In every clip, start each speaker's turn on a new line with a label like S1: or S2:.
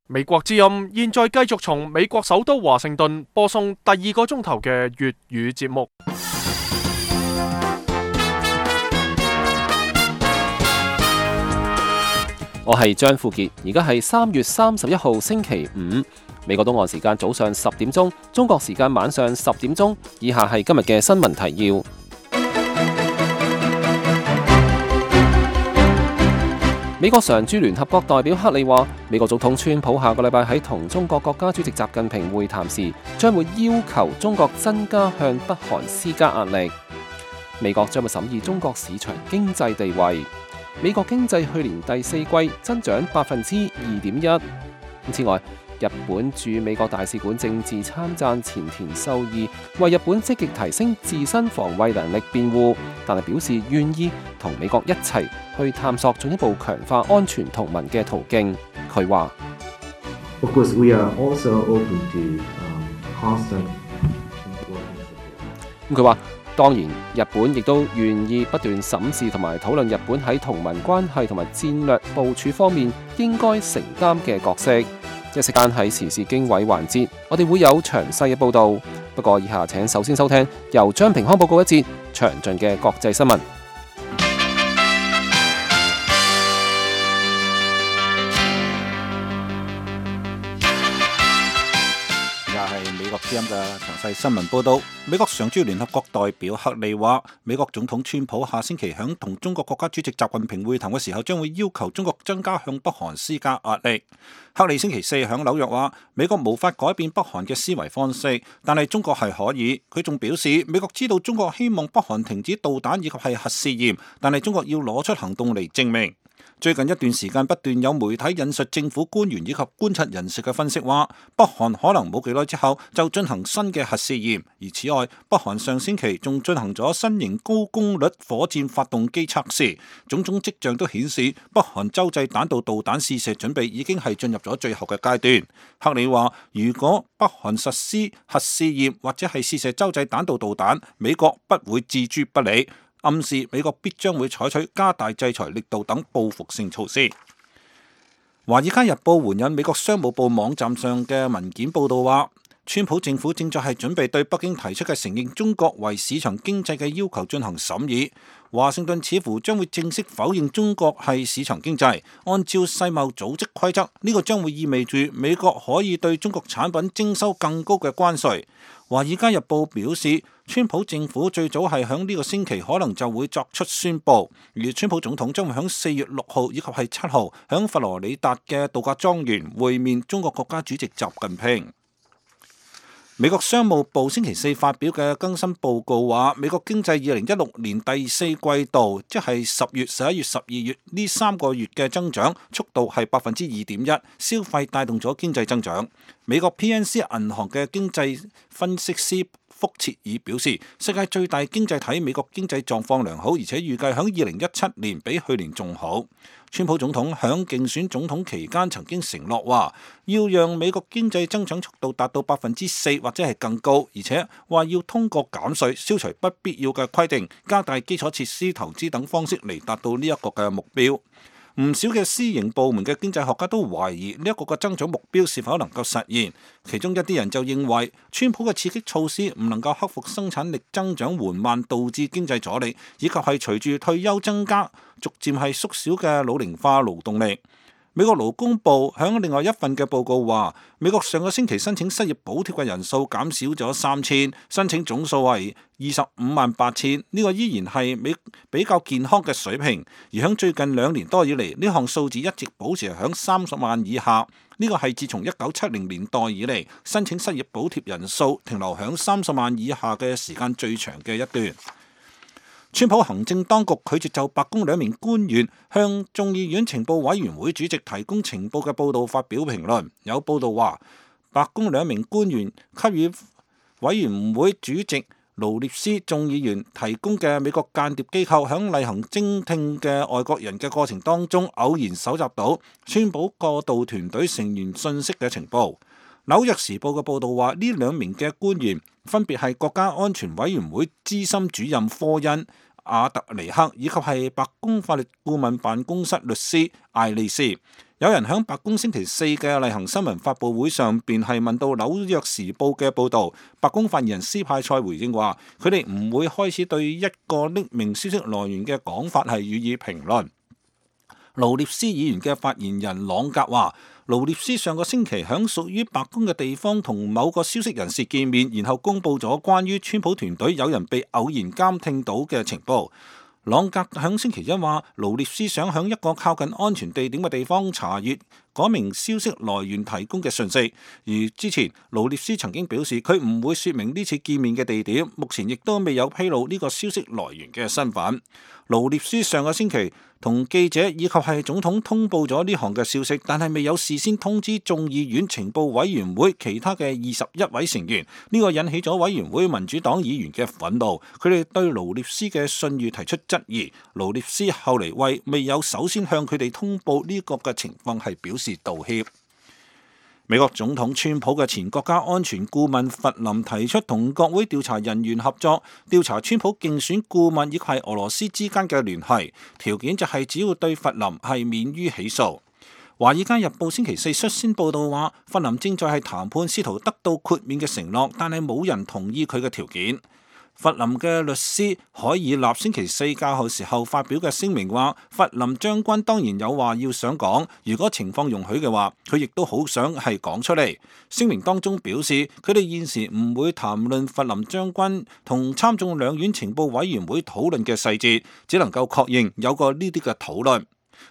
S1: 美國之音現在繼續從美國首都華盛頓播送第二個鐘頭嘅粵語節目。
S2: 我係張富傑，而家係3月31號星期五，美國東岸時間早上10點鐘，中國時間晚上10點鐘。以下係今日嘅新聞提要。美國常駐聯合國代表克里話，美國總統川普下個禮拜喺同中國國家主席習近平會談時，將會要求中國增加向北韓施加壓力。美國將會審議中國市場經濟地位。美國經濟去年第四季增長2.1%。此外，日本駐美國大使館政治參贊前田秀義為日本積極提升自身防衛能力辯護，但係表示願意同美國一齊去探索進一步強化安全同盟嘅途徑。佢話：Of
S3: course, we are also open to constant.
S2: 佢話當然，日本亦都願意不斷審視同埋討論日本喺同盟關係同埋戰略部署方面應該承擔嘅角色。一時間喺時事經緯環節，我哋會有詳細嘅報導。不過以下請首先收聽由張平康報告一節詳盡嘅國際新聞。
S4: 美國之音嘅詳細新聞報道，美國常駐聯合國代表克里話，美國總統川普下星期響同中國國家主席習近平會談嘅時候，將會要求中國增加向北韓施加壓力。克里星期四響紐約話，美國無法改變北韓嘅思維方式，但係中國係可以。佢仲表示，美國知道中國希望北韓停止導彈以及係核試驗，但係中國要攞出行動嚟證明。最近一段時間不斷有媒體引述政府官員以及觀察人士嘅分析話，北韓可能冇幾耐之後就進行新嘅核試驗。而此外，北韓上星期仲進行咗新型高功率火箭發動機測試，種種跡象都顯示北韓洲際彈道導彈試射準備已經係進入咗最後嘅階段。克里話，如果北韓實施核試驗或者係試射洲際彈道導彈，美國不會置諸不理。暗示美國必將會採取加大制裁力度等報復性措施。華爾街日報援引美國商務部網站上嘅文件報道話，川普政府正在係準備對北京提出嘅承認中國為市場經濟嘅要求進行審議。華盛頓似乎將會正式否認中國係市場經濟。按照世貿組織規則，呢個將會意味住美國可以對中國產品徵收更高嘅關稅。華爾街日報表示，川普政府最早係響呢個星期可能就會作出宣佈，而川普總統將會響4月6號以及係7號響佛羅里達嘅度假莊園會面中國國家主席習近平。美國商務部星期四發表嘅更新報告話，美國經濟2016年第四季度，即係10月、11月、12月呢3個月嘅增長速度係2.1%，消費帶動咗經濟增長。美國 PNC 銀行嘅經濟分析師福切爾表示，世界最大經濟體美國經濟狀況良好，而且預計響2017年比去年仲好。川普總統響競選總統期間曾經承諾話，要讓美國經濟增長速度達到4%或者係更高，而且話要通過減稅、消除不必要嘅規定、加大基礎設施投資等方式嚟達到呢一個嘅目標。唔少嘅私營部門嘅經濟學家都懷疑呢一個嘅增長目標是否能夠實現。其中一啲人就認為，川普嘅刺激措施唔能夠克服生產力增長緩慢導致經濟阻力，以及係隨住退休增加，逐漸係縮小嘅老齡化勞動力。美國勞工部響另外一份嘅報告話，美國上個星期申請失業補貼嘅人數減少咗3000，申請總數係258000，呢個依然係比較健康嘅水平。而響最近2年多以嚟，呢項數字一直保持響30萬以下，呢個係自從1970年代以嚟申請失業補貼人數停留響30萬以下嘅時間最長嘅一段。川普行政當局拒絕就白宮2名官員向眾議院情報委員會主席提供情報嘅報導發表評論。有報導話，白宮2名官員給予委員會主席勞列斯眾議員提供嘅美國間諜機構響例行偵聽嘅外國人嘅過程當中，偶然搜集到川普過渡團隊成員信息嘅情報。紐約時報嘅報導話，呢2名嘅官員分別係國家安全委員會資深主任科恩·亞特尼克，以及係白宮法律顧問辦公室律師艾利斯。有人喺白宮星期四嘅例行新聞發佈會上邊係問到紐約時報嘅報導，白宮發言人斯派塞回應話：佢哋唔會開始對一個匿名消息來源嘅講法係予以評論。勞涅斯議員嘅發言人朗格話：勞涅斯上個星期喺屬於白宮嘅地方同某個消息人士見面，然後公佈咗關於川普團隊有人被偶然監聽到嘅情報。朗格響星期一話，勞涅斯想響一個靠近安全地點嘅地方查閱嗰名消息來源提供嘅訊息。而之前勞涅斯曾經表示，佢唔會說明呢次見面嘅地點，目前亦都未有披露呢個消息來源嘅身份。勞涅斯上個星期同記者以及係總統通報咗呢項嘅消息，但係未有事先通知眾議院情報委員會其他嘅21位成員。呢個引起咗委員會民主黨議員嘅憤怒，佢哋對勞涅斯嘅信譽提出質疑。勞涅斯後嚟為未有首先向佢哋通報呢個嘅情況係表示道歉。美國總統川普嘅前國家安全顧問弗林提出同國會調查人員合作，調查川普競選顧問以及係俄羅斯之間嘅聯繫，條件就係只要對弗林係免於起訴。華爾街日報星期四率先報道話，弗林正在係談判，試圖得到豁免嘅承諾，但係冇人同意佢嘅條件。弗林嘅律師海爾納星期四較後時候發表嘅聲明話，弗林將軍當然有話要想講，如果情況容許嘅話，佢亦都好想係講出嚟。聲明當中表示，佢哋現時唔會談論弗林將軍同參眾兩院情報委員會討論嘅細節，只能夠確認有過呢啲嘅討論。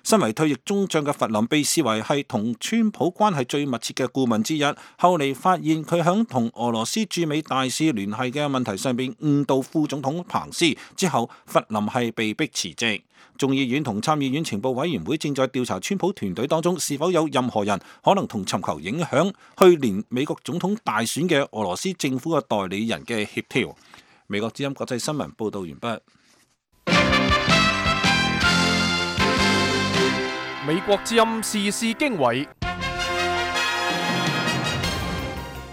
S4: 身為退役中將嘅弗林被視為係同川普關係最密切嘅顧問之一，後嚟發現佢響同俄羅斯駐美大使聯繫嘅問題上邊誤導副總統彭斯之後，弗林係被迫辭職。眾議院同參議院情報委員會正在調查川普團隊當中是否有任何人可能同尋求影響去年美國總統大選嘅俄羅斯政府嘅代理人嘅協調。美國之音國際新聞報道完畢。
S1: 美國之音時事經緯，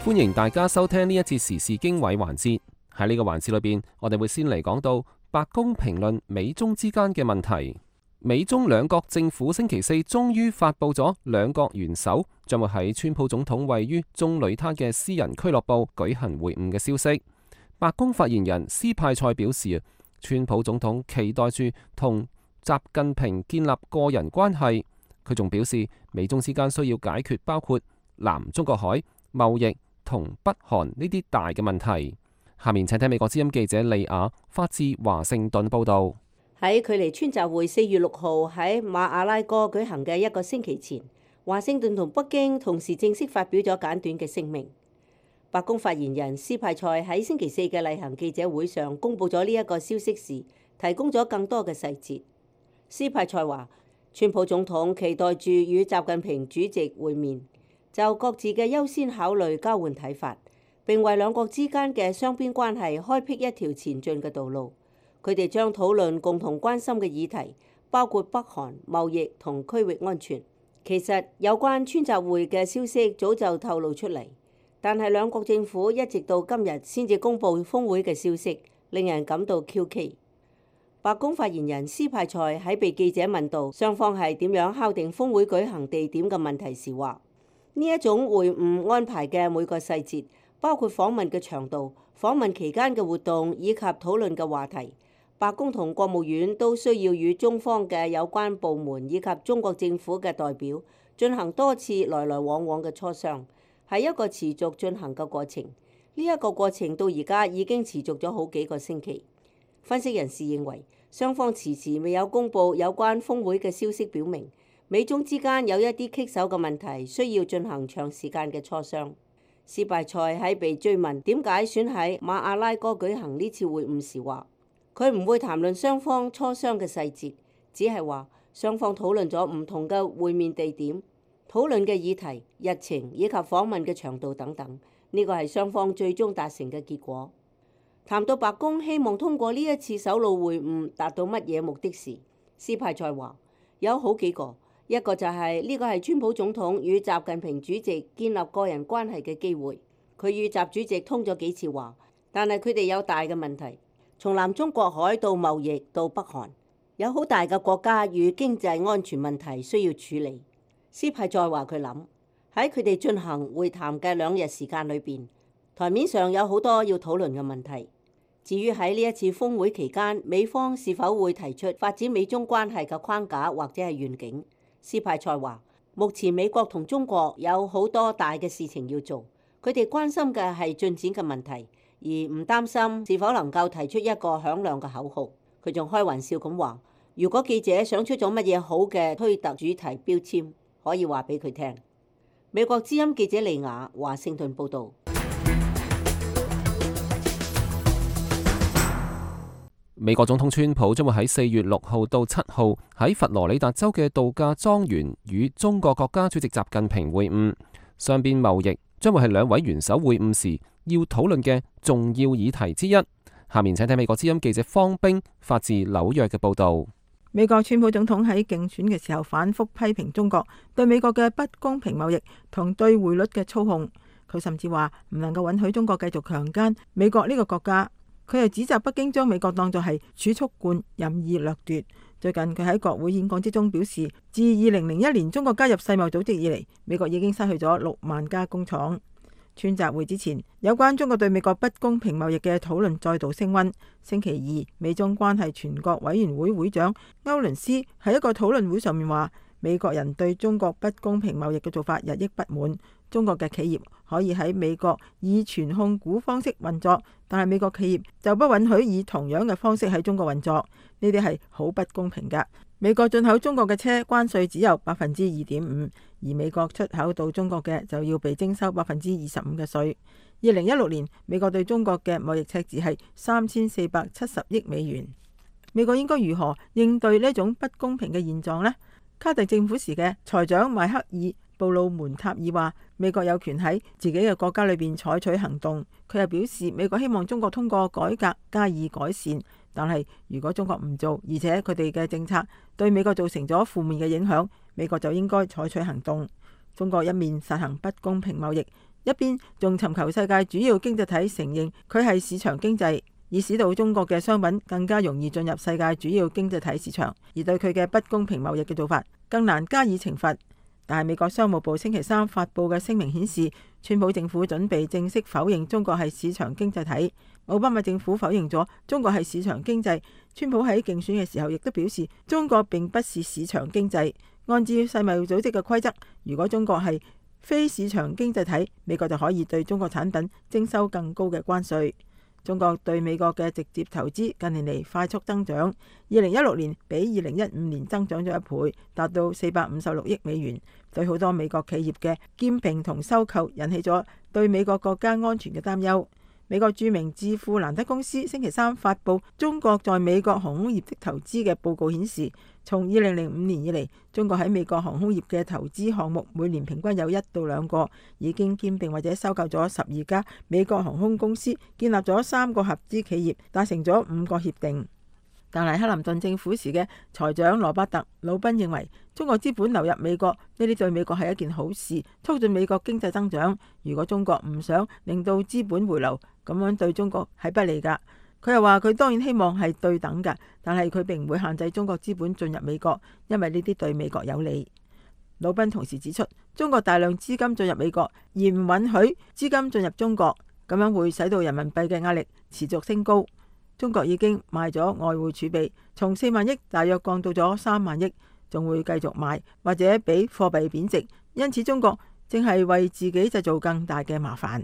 S2: 歡迎大家收聽呢一節時事經緯環節。喺呢個環節裏邊，我哋會先嚟講到白宮評論美中之間嘅問題。美中兩國政府星期四終於發佈咗兩國元首將會喺川普總統位於棕櫚灘嘅私人俱樂部舉行會晤嘅消息。白宮發言人斯派塞表示，川普總統期待住同習近平建立個人關係。佢仲表示，美中之間需要解決包括南中國海、貿易同北韓呢啲大嘅問題。下面請聽美國之音記者利亞發自華盛頓報道。
S5: 喺距離川習會4月6號喺馬阿拉哥舉行嘅一個星期前，華盛頓同北京同時正式發表咗簡短嘅聲明。白宮發言人斯派塞喺星期四嘅例行記者會上公布咗呢一個消息時，提供咗更多嘅細節。斯派塞話，川普總統期待住與習近平主席會面，就各自嘅優先考慮交換睇法，並為兩國之間嘅雙邊關係開闢一條前進嘅道路。佢哋將討論共同關心嘅議題，包括北韓、貿易同區域安全。其實有關川習會嘅消息早就透露出嚟，但係兩國政府一直到今日先至公佈峰會嘅消息，令人感到蹊蹺。白宮發言人斯派塞喺被記者問到雙方係點樣敲定峰會舉行地點嘅問題時話：呢一種會晤安排嘅每個細節，包括訪問嘅長度、訪問期間嘅活動以及討論嘅話題，白宮同國務院都需要與中方嘅有關部門以及中國政府嘅代表進行多次來來往往嘅磋商，係一個持續進行嘅過程。呢一個過程到而家已經持續咗好幾個星期。分析人士認為，雙方遲遲未有公佈有關峰會嘅消息，表明美中之間有一啲棘手嘅問題需要進行長時間嘅磋商。斯派塞喺被追問點解選喺馬阿拉哥舉行呢次會晤時話，佢唔會談論雙方磋商嘅細節，只係話雙方討論咗唔同嘅會面地點、討論嘅議題、日程以及訪問嘅長度等等。呢個係雙方最終達成嘅結果。談到白宮希望通過呢一次首腦會晤達到乜嘢目的時，斯派塞話有好幾個，一個就係呢個係川普總統與習近平主席建立個人關係嘅機會。佢與習主席通咗幾次話，但係佢哋有大嘅問題，從南中國海到貿易到北韓，有好大嘅國家與經濟安全問題需要處理。斯派再話佢諗喺佢哋進行會談嘅2日時間裏邊，台面上有好多要討論嘅問題。至於喺呢一次峰會期間，美方是否會提出發展美中關係嘅框架或者係願景，斯派塞話：目前美國同中國有好多大嘅事情要做，佢哋關心嘅係進展嘅問題，而唔擔心是否能夠提出一個響亮嘅口號。佢仲開玩笑咁話：如果記者想出咗乜嘢好嘅推特主題標籤，可以話俾佢聽。美國之音記者利亞華盛頓報導。
S2: 美國總統川普將會喺4月6號到7號喺佛羅里達州嘅度假莊園與中國國家主席習近平會晤，雙邊貿易將會係兩位元首會晤時要討論嘅重要議題之一。下面請睇美國之音記者方冰發自紐約嘅報導。
S6: 美國川普總統喺競選嘅時候反覆批評中國對美國嘅不公平貿易同對匯率嘅操控，佢甚至話唔能夠允許中國繼續強姦美國呢個國家。佢又指責北京將美國當作係儲蓄罐，任意掠奪。最近佢喺國會演講之中表示，自2001年中國加入世貿組織以嚟，美國已經失去咗6萬家工廠。川習會之前，有關中國對美國不公平貿易嘅討論再度升溫。星期二，美中關係全國委員會會長歐倫斯喺一個討論會上面話，美國人對中國不公平貿易嘅做法日益不滿。中國嘅企業可以喺美國以全控股方式運作，但係美國企業就不允許以同樣嘅方式喺中國運作，呢啲係好不公平㗎。美國進口中國嘅車關稅只有2.5%，而美國出口到中國嘅就要被徵收25%嘅稅。2016年，美國對中國嘅貿易赤字係3470億美元。美國應該如何應對呢種不公平嘅現狀呢？卡特政府時嘅財長邁克爾布魯門塔爾話：美國有權喺自己嘅國家裏邊採取行動。佢又表示，美國希望中國通過改革加以改善，但係如果中國唔做，而且佢哋嘅政策對美國造成咗負面嘅影響，美國就應該採取行動。中國一面實行不公平貿易，一邊仲尋求世界主要經濟體承認佢係市場經濟，以使到中國嘅商品更加容易進入世界主要經濟體市場，而對佢嘅不公平貿易嘅做法更難加以懲罰。但係美國商務部星期三發佈嘅聲明顯示，川普政府準備正式否認中國係市場經濟體。奧巴馬政府否認咗中國係市場經濟，川普喺競選嘅時候亦都表示中國並不是市場經濟。按照世貿組織嘅規則，如果中國係非市場經濟體，美國就可以對中國產品徵收更高嘅關稅。中國對美國嘅直接投資近年嚟快速增長，2016年比2015年增長咗1倍，達到456億美元。對好多美國企業嘅兼併同收購引起咗對美國國家安全嘅擔憂。美國著名智庫蘭德公司星期三發佈中國在美國航空業的投資嘅報告顯示，從2005年以嚟，中國喺美國航空業嘅投資項目每年平均有1到2個，已經兼併或者收購咗12家美國航空公司，建立咗3個合資企業，達成咗5個協定。但係克林頓政府時嘅財長羅伯特·魯賓認為，中國資本流入美國呢啲對美國係一件好事，促進美國經濟增長。如果中國唔想令到資本回流，咁樣對中國係不利㗎。佢又話佢當然希望係對等㗎，但係佢並唔會限制中國資本進入美國，因為呢啲對美國有利。魯賓同時指出，中國大量資金進入美國，而唔允許資金進入中國，咁樣會使到人民幣嘅壓力持續升高。中國已經賣咗外匯儲備，從4萬億大約降到咗3萬億，仲會繼續賣，或者俾貨幣貶值。因此中國正係為自己製造更大嘅麻煩。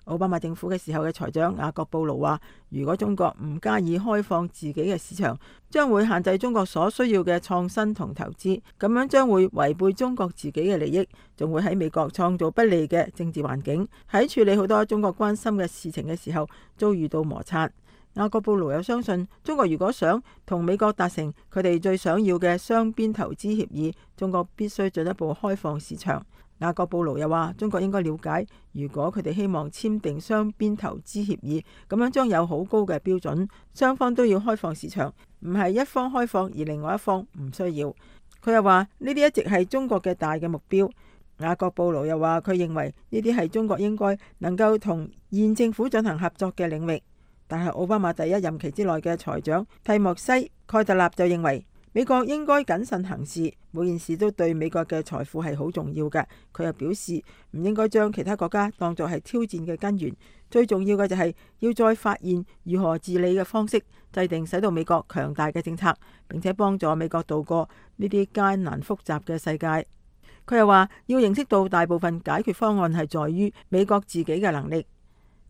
S6: 奧巴馬政府嘅時候嘅財長雅各布魯話，如果中國唔加以開放自己嘅市場，將會限制中國所需要嘅創新同投資，咁樣將會違背中國自己嘅利益，仲會喺美國創造不利嘅政治環境，喺處理好多中國關心嘅事情嘅時候遭遇到摩擦。雅各布魯又相信，中國如果想同美國達成佢哋最想要嘅雙邊投資協議，中國必須進一步開放市場。雅各布魯又話，中國應該了解，如果佢哋希望簽訂雙邊投資協議，咁樣將有好高嘅標準，雙方都要開放市場，唔係一方開放而另外一方唔需要。佢又話呢啲一直係中國嘅大嘅目標。雅各布魯又話，佢認為呢啲係中國應該能夠同現政府進行合作嘅領域。但係奧巴馬第1任期之內嘅財長蒂莫西·蓋特納就認為，美國應該謹慎行事，每件事都對美國嘅財富係好重要嘅。佢又表示唔應該將其他國家當作係挑戰嘅根源，最重要嘅就係要再發現如何治理嘅方式，制定使到美國強大嘅政策，並且幫助美國度過呢啲艱難複雜嘅世界。佢又話要認識到大部分解決方案係在於美國自己嘅能力。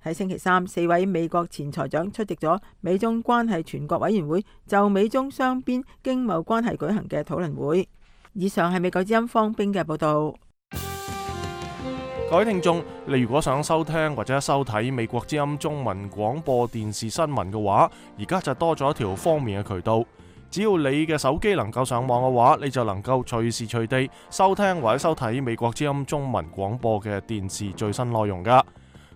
S6: 喺星期三，4位美國前財長出席咗美中關係全國委員會就美中雙邊經貿關係舉行嘅討論會。以上係美國之音方冰嘅報道。
S1: 各位聽眾，你如果想收聽或者收睇美國之音中文廣播電視新聞嘅話，而家就多咗一條方便嘅渠道。只要你嘅手機能夠上網嘅話，你就能夠隨時隨地收聽或者收睇美國之音中文廣播嘅電視最新內容噶。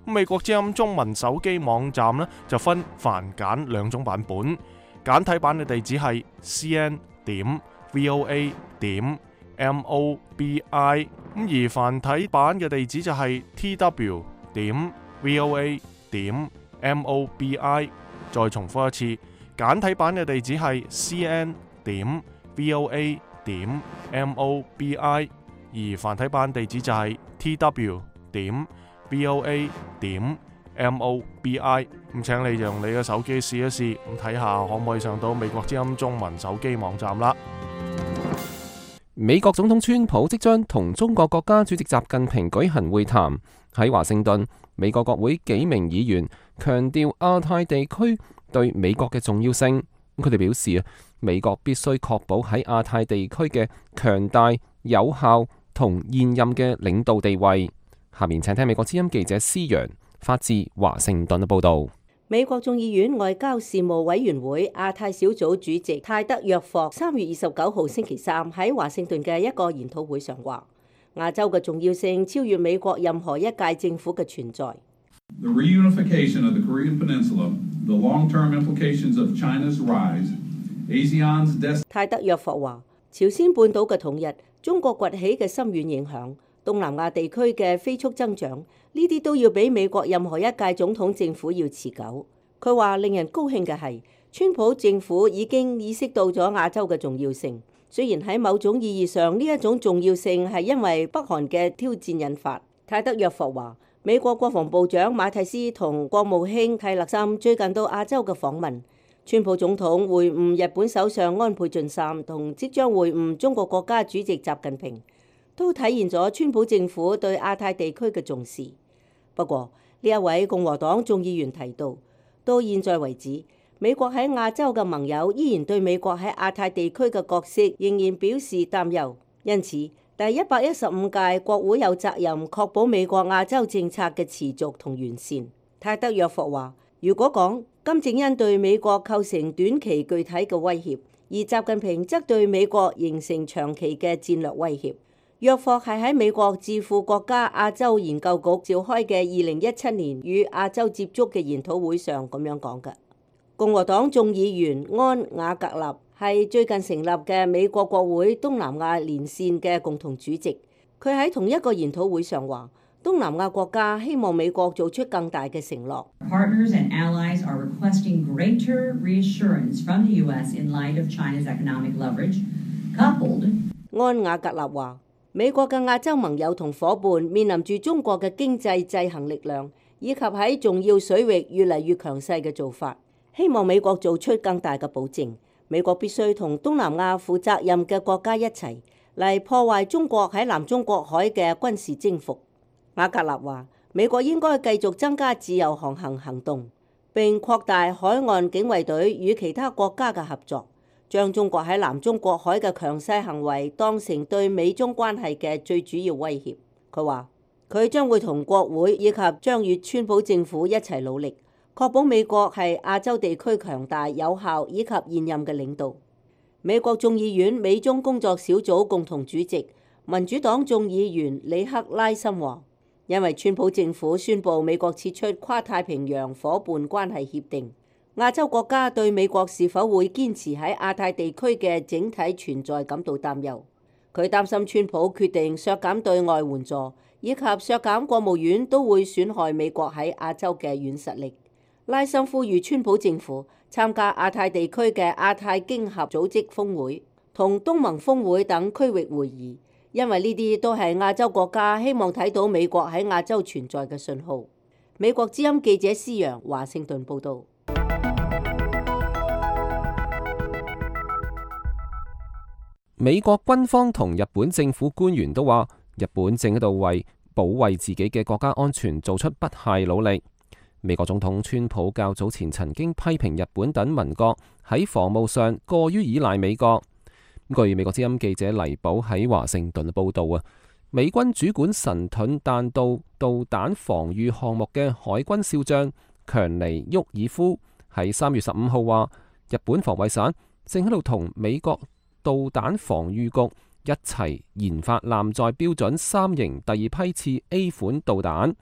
S1: 美國之音中文手機網站呢，就分繁簡兩種版本，簡體版嘅地址係 cn.voa.mobi， 而繁體版嘅地址就係 tw.voa.mobi。 再重複一次，簡體版嘅地址係 cn.voa.mobi， 而繁體版地址就係 tw.voa.mobi。咁請你用你嘅手機試一試，咁睇下可唔可以上到美國之音中文手機網站啦。
S2: 美國總統川普即將同中國國家主席習近平舉行會談。喺華盛頓，美國國會幾名議員強調亞太地區對美國嘅重要性。佢哋表示啊，美國必須確保喺亞太地區嘅強大、有效同現任嘅領導地位。下面請聽美國之音記者施揚發自華盛頓嘅報道。
S5: 美國眾議院外交事務委員會亞太小組主席泰德約霍3月29號星期三喺華盛頓嘅一個研討會上話，亞洲嘅重要性超越美國任何一屆政府嘅存在。
S7: The reunification of the Korean Peninsula, the long-term implications of China's rise, ASEAN's destiny。
S5: 泰德約霍話，朝鮮半島嘅統一、中國崛起嘅深遠影響、東南亞地區嘅飛速增長，呢啲都要比美國任何一屆總統政府要持久。佢話令人高興嘅係，川普政府已經意識到咗亞洲嘅重要性。雖然喺某種意義上呢一種重要性係因為北韓嘅挑戰引發。泰德約霍話，美國國防部長馬蒂斯同國務卿蒂勒森最近到亞洲嘅訪問，川普總統會晤日本首相安倍晉三同即將會晤中國國家主席習近平，都體現咗川普政府對亞太地區嘅重視。不過呢一位共和黨眾議員提到，到現在為止，美國喺亞洲嘅盟友依然對美國喺亞太地區嘅角色仍然表示擔憂，因此第115屆國會有責任確保美國亞洲政策嘅持續同完善。泰德約霍話，如果講金正恩對美國構成短期具體嘅威脅，而習近平則對美國形成長期嘅戰略威脅。約霍係喺美國智庫國家亞洲研究局召開嘅2017年與亞洲接觸嘅研討會上咁樣講嘅。共和黨眾議員安瓦格納係最近成立嘅美國國會東南亞連線嘅共同主席。佢喺同一個研討會上話，東南亞國家希望美國做出更大嘅承諾。
S8: Partners and allies are requesting greater reassurance from the U.S. in light of China's economic leverage, coupled。
S5: 安瓦格納話，美國嘅亞洲盟友同伙伴面臨住中國嘅經濟制衡力量，以及喺重要水域越嚟越強勢嘅做法，希望美國做出更大嘅保證。美國必須同東南亞負責任嘅國家一齊嚟破壞中國喺南中國海嘅軍事征服。瓦格納話，美國應該繼續增加自由航行行動，並擴大海岸警衛隊與其他國家嘅合作，將中國喺南中國海嘅強勢行為當成對美中關係嘅最主要威脅。佢話，佢將會同國會以及將與川普政府一齊努力，確保美國係亞洲地區強大、有效以及現任嘅領導。美國眾議院美中工作小組共同主席民主黨眾議員里克拉森話，因為川普政府宣布美國撤出跨太平洋夥伴關係協定，亞洲國家對美國是否會堅持喺亞太地區嘅整體存在感到擔憂。佢擔心川普決定削減對外援助以及削減國務院都會損害美國喺亞洲嘅軟實力。拉森呼籲川普政府參加亞太地區嘅亞太經合組織峰會，同東盟峰會等區域會議，因為呢啲都係亞洲國家希望睇到美國喺亞洲存在嘅信號。美國之音記者施洋華盛頓報導。
S2: 美國軍方同日本政府官員都話，日本正喺度為保衛自己嘅國家安全做出不懈努力。美國總統川普較早前曾經批評日本等盟國喺防務上過於依賴美國。據美國之音記者黎寶喺華盛頓報道啊，美軍主管神盾彈道導彈防禦項目嘅海軍少將強尼沃爾夫喺3月15號話，日本防衛省正喺度同美國導彈防禦局一齊研發艦載標準3型第二批次 A 款導彈。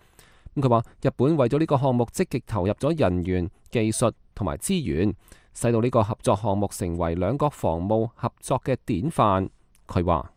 S2: 佢話日本為咗呢個項目積極投入咗人員、技術同埋資源，使到呢個合作項目成為兩國防務合作嘅典範。佢話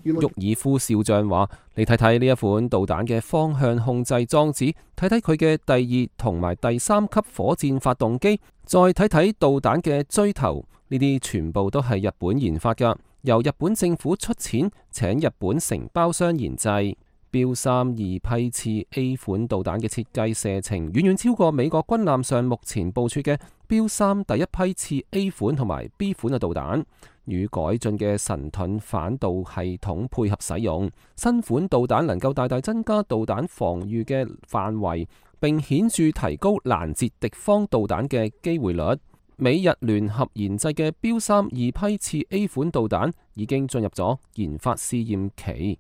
S2: 沃爾夫少將話：你睇睇呢一款導彈嘅方向控制裝置，睇睇佢嘅第2同埋第3級火箭發動機，再睇睇導彈嘅錐頭，呢啲全部都係日本研發㗎，由日本政府出錢請日本承包商研製。標3 2批次 A 款導彈嘅設計射程遠遠超過美國軍艦上目前部署嘅標3第1批次 A 款同埋 B 款嘅導彈，與改進嘅神盾反導系統配合使用，新款導彈能夠大大增加導彈防禦嘅範圍，並顯著提高攔截敵方導彈嘅機會率。美日聯合研製嘅標3 2批次 A 款導彈已經進入咗研發試驗期。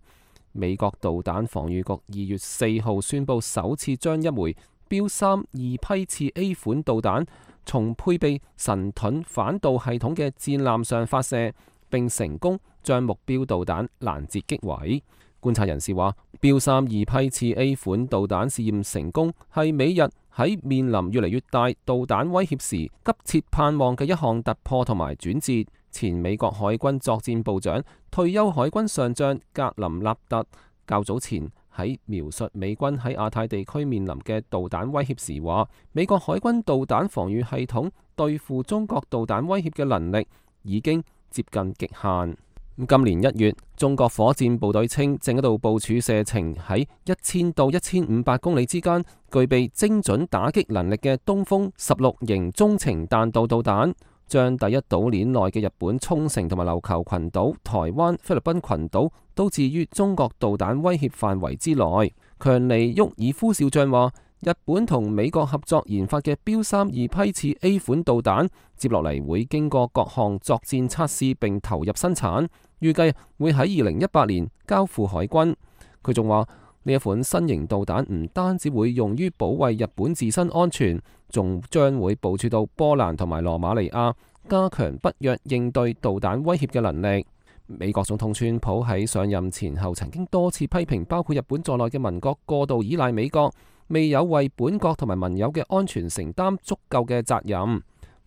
S2: 美國導彈防禦局2月4號宣布，首次將一枚標3 2批次 A 款導彈從配備神盾反導系統嘅戰艦上發射，並成功將目標導彈攔截擊毀。觀察人士話，標3 2批次 A 款導彈試驗成功係美日喺面臨越嚟越大導彈威脅時急切盼望嘅一項突破同埋轉折。前美國海軍作戰部長、退休海軍上將格林納特較早前喺描述美軍喺亞太地區面臨嘅導彈威脅時話，美國海軍導彈防禦系統對付中國導彈威脅嘅能力已經接近極限。今年1月，中國火箭部隊稱正喺度部署射程喺1000到1500公里之間，具備精準打擊能力嘅東風16型中程彈道導彈，將第一島鏈內嘅日本沖繩同埋琉球群島、台灣、菲律賓群島都置於中國導彈威脅範圍之內。強尼沃爾夫少將話，日本同美國合作研發嘅標3 2批次 A 款導彈，接落嚟會經過各項作戰測試並投入生產，預計會喺2018年交付海軍。佢仲話，呢一款新型導彈唔單止會用於保衛日本自身安全，仲將會部署到波蘭同埋羅馬尼亞，加強北約應對導彈威脅嘅能力。美國總統川普喺上任前後曾經多次批評包括日本在內嘅盟國過度依賴美國，未有為本國同埋盟友嘅安全承擔足夠嘅責任。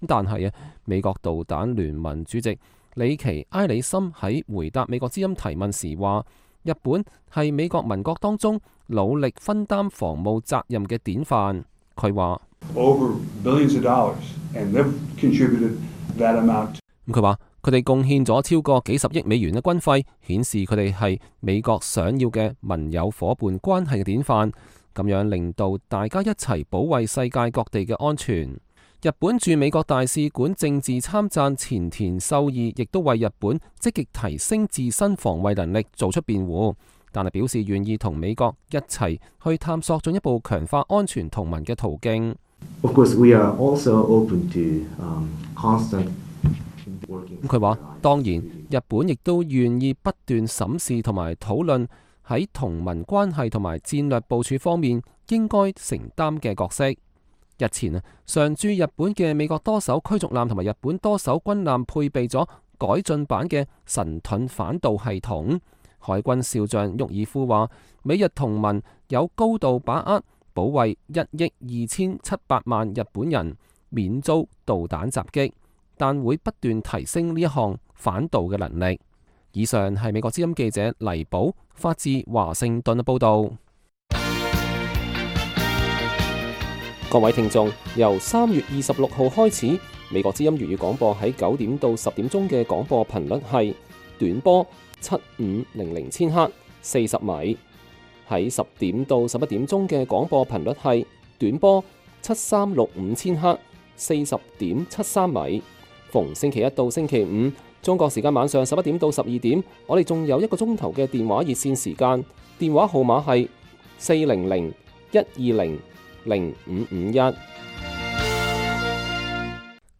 S2: 但係美國導彈聯盟主席里奇埃里森喺回答美國之音提問時話，日本係美國盟國當中努力分擔防務責任嘅典範。佢話佢話佢哋貢獻咗超過幾十億美元嘅軍費，顯示佢哋係美國想要嘅盟友夥伴關係嘅典範，咁樣令到大家一齊保衛世界各地嘅安全。日本駐美國大使館政治參贊前田秀義亦都為日本積極提升自身防衛能力做出辯護，但係表示願意同美國一齊去探索進一步強化安全同盟嘅途徑。
S3: Of course, we are also open to constant working.
S2: 佢話，當然，日本亦都願意不斷審視同埋討論喺同盟關係同埋戰略部署方面應該承擔嘅角色。日前常駐日本嘅美國多艘驅逐艦同埋日本多艘軍艦配備咗改進版嘅神盾反導系統。海軍少將沃爾夫話，美日同盟有高度把握保衛1億2700萬日本人免遭導彈襲擊，但會不斷提升呢一項反導嘅能力。以上係美國之音記者黎寶發自華盛頓嘅報導。各位聽眾，由3月26號開始，美國之音粵語廣播喺9點到10點鐘嘅廣播頻率係短波7500千赫40米，喺10點到11點鐘嘅廣播頻率係短波7365千赫40.73米。逢星期一到星期五，中國時間晚上11點到12點，我哋仲有1個鐘頭嘅電話熱線時間，電話號碼係400-120-0551。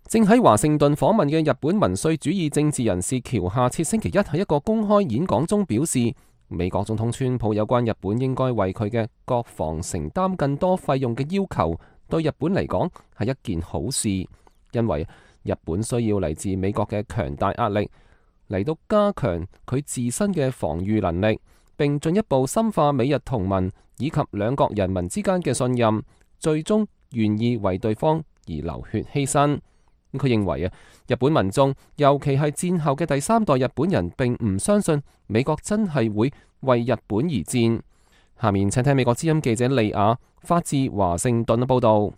S2: 正喺華盛頓訪問嘅日本民粹主義政治人士橋下徹星期一喺一個公開演講中表示，美國總統川普有關日本應該為佢嘅國防承擔更多費用嘅要求，對日本嚟講係一件好事，因為日本需要嚟自美國嘅強大壓力嚟到加強佢自身嘅防禦能力，並進一步深化美日同盟以及兩國人民之間嘅信任，最終願意為對方而流血犧牲。佢認為日本民眾，尤其係戰後嘅第3代日本人，並唔相信美國真係會為日本而戰。下面請聽美國之音記者利亞發自華盛頓嘅報道。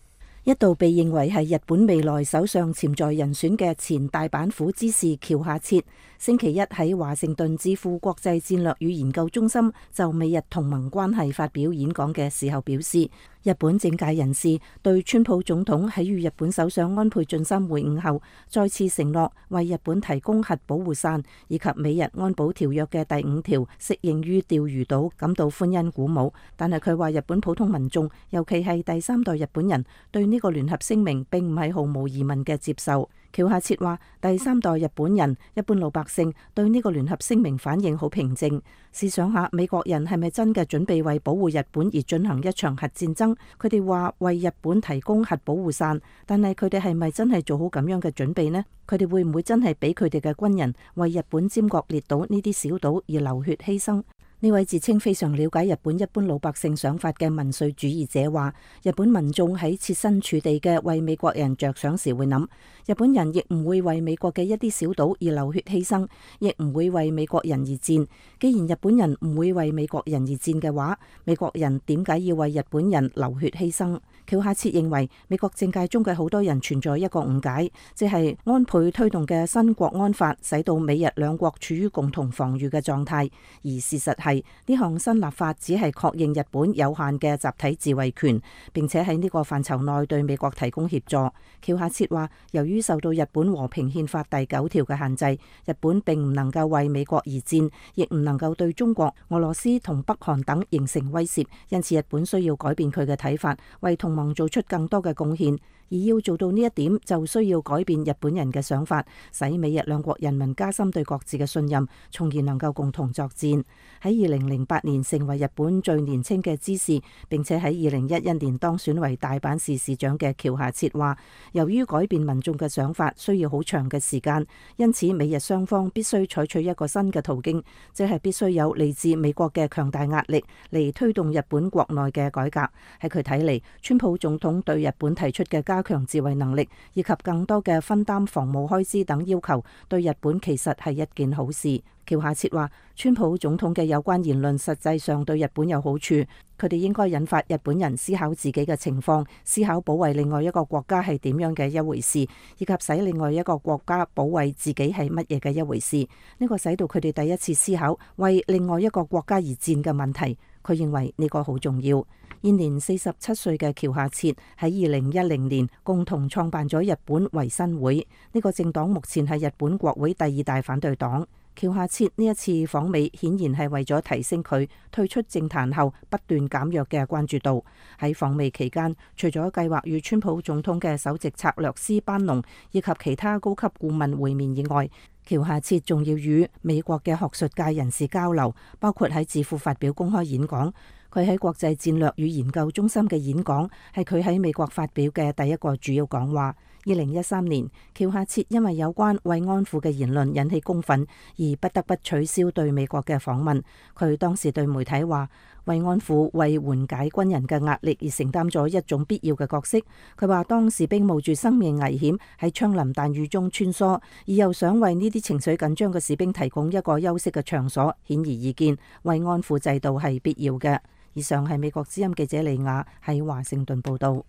S9: 一度被認為係日本未來首相潛在人選嘅前大阪府知事橋下徹，星期一喺華盛頓智庫國際戰略與研究中心就美日同盟關係發表演講嘅時候表示，日本政界人士對川普總統喺與日本首相安倍晉三會晤後，再次承諾為日本提供核保護傘，以及美日安保條約嘅第5條適用於釣魚島，感到歡欣鼓舞。但係佢話日本普通民眾，尤其係第3代日本人，對呢個聯合聲明並唔係毫無疑問嘅接受。橋下徹話，第3代日本人、一般老百姓對呢個聯合聲明反應好平靜。試想下，美國人係咪真嘅準備為保護日本而進行一場核戰爭？佢哋話為日本提供核保護傘，但係佢哋係咪真係做好咁樣嘅準備呢？佢哋會唔會真係俾佢哋嘅軍人為日本尖閣列島呢啲小島而流血犧牲？呢位自稱非常了解日本一般老百姓想法嘅民粹主義者話，日本民眾喺設身處地嘅為美國人着想時會諗，日本人亦唔會為美國嘅一啲小島而流血犧牲，亦唔會為美國人而戰。既然日本人唔會為美國人而戰嘅話，美國人點解要為日本人流血犧牲？橋下徹認為，美國政界中嘅好多人存在一個誤解，即係安倍推動嘅新國安法使到美日兩國處於共同防禦嘅狀態，而事實係呢項新立法只係確認日本有限嘅集體自衛權，並且喺呢個範疇內對美國提供協助。橋下徹話，由於受到日本和平憲法第9條嘅限制，日本並唔能夠為美國而戰，亦唔能夠對中國、俄羅斯同北韓等形成威懾，因此日本需要改變佢嘅睇法，為同盟做出更多嘅貢獻。而要做到呢一點，就需要改變日本人嘅想法，使美日兩國人民加深對各自嘅信任，從而能夠共同作戰。喺2008年成為日本最年輕嘅知事，並且喺2011年當選為大阪市市長嘅橋下徹話，由於改變民眾嘅想法需要好長嘅時間，因此美日雙方必須採取一個新嘅途徑，即係必須有嚟自美國嘅強大壓力嚟推動日本國內嘅改革。喺佢睇嚟，川普總統對日本提出嘅加強自衛能力以及更多嘅分擔防務開支等要求，對日本其實係一件好事。橋下徹話，川普總統嘅有關言論實際上對日本有好處，佢哋應該引發日本人思考自己嘅情況，思考保衛另外一個國家係點樣嘅一回事，以及使另外一個國家保衛自己係乜嘢嘅一回事。呢個使到佢哋第一次思考為另外一個國家而戰嘅問題。佢認為呢個好重要。現年47歲嘅橋下徹喺2010年共同創辦咗日本維新會，呢個政黨目前係日本國會第2大反對黨。橋下徹呢一次訪美顯然係為咗提升佢退出政壇後不斷減弱嘅關注度。喺訪美期間，除咗計劃與川普總統嘅首席策略師班農以及其他高級顧問會面以外，橋下徹仲要與美國嘅學術界人士交流，包括喺智庫發表公開演講。佢喺國際戰略與研究中心嘅演講係佢喺美國發表嘅第一個主要講話。2013年，橋下徹因為有關慰安婦嘅言論引起公憤，而不得不取消對美國嘅訪問。佢當時對媒體話，慰安婦為緩解軍人嘅壓力而承擔咗一種必要嘅角色。佢話當士兵冒住生命危險喺槍林彈雨中穿梭，而又想為呢啲情緒緊張嘅士兵提供一個休息嘅場所，顯而易見慰安婦制度係必要嘅。以上係美國之音記者李雅喺華盛頓報道。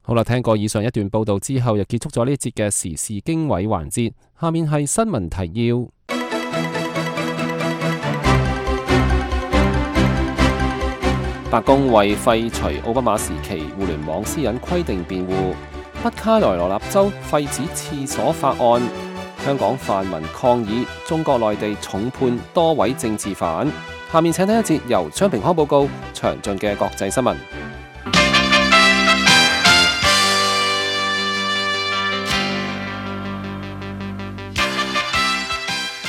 S2: 好啦，聽過以上一段報道之後，又結束咗呢節嘅時事經緯環節。下面係新聞提要。白宮為廢除奧巴馬時期互聯網私隱規定辯護。北卡羅來納州廢止廁所法案。香港泛民抗議中國內地重判多位政治犯。下面請聽一節由張平康報告詳盡嘅國際新聞。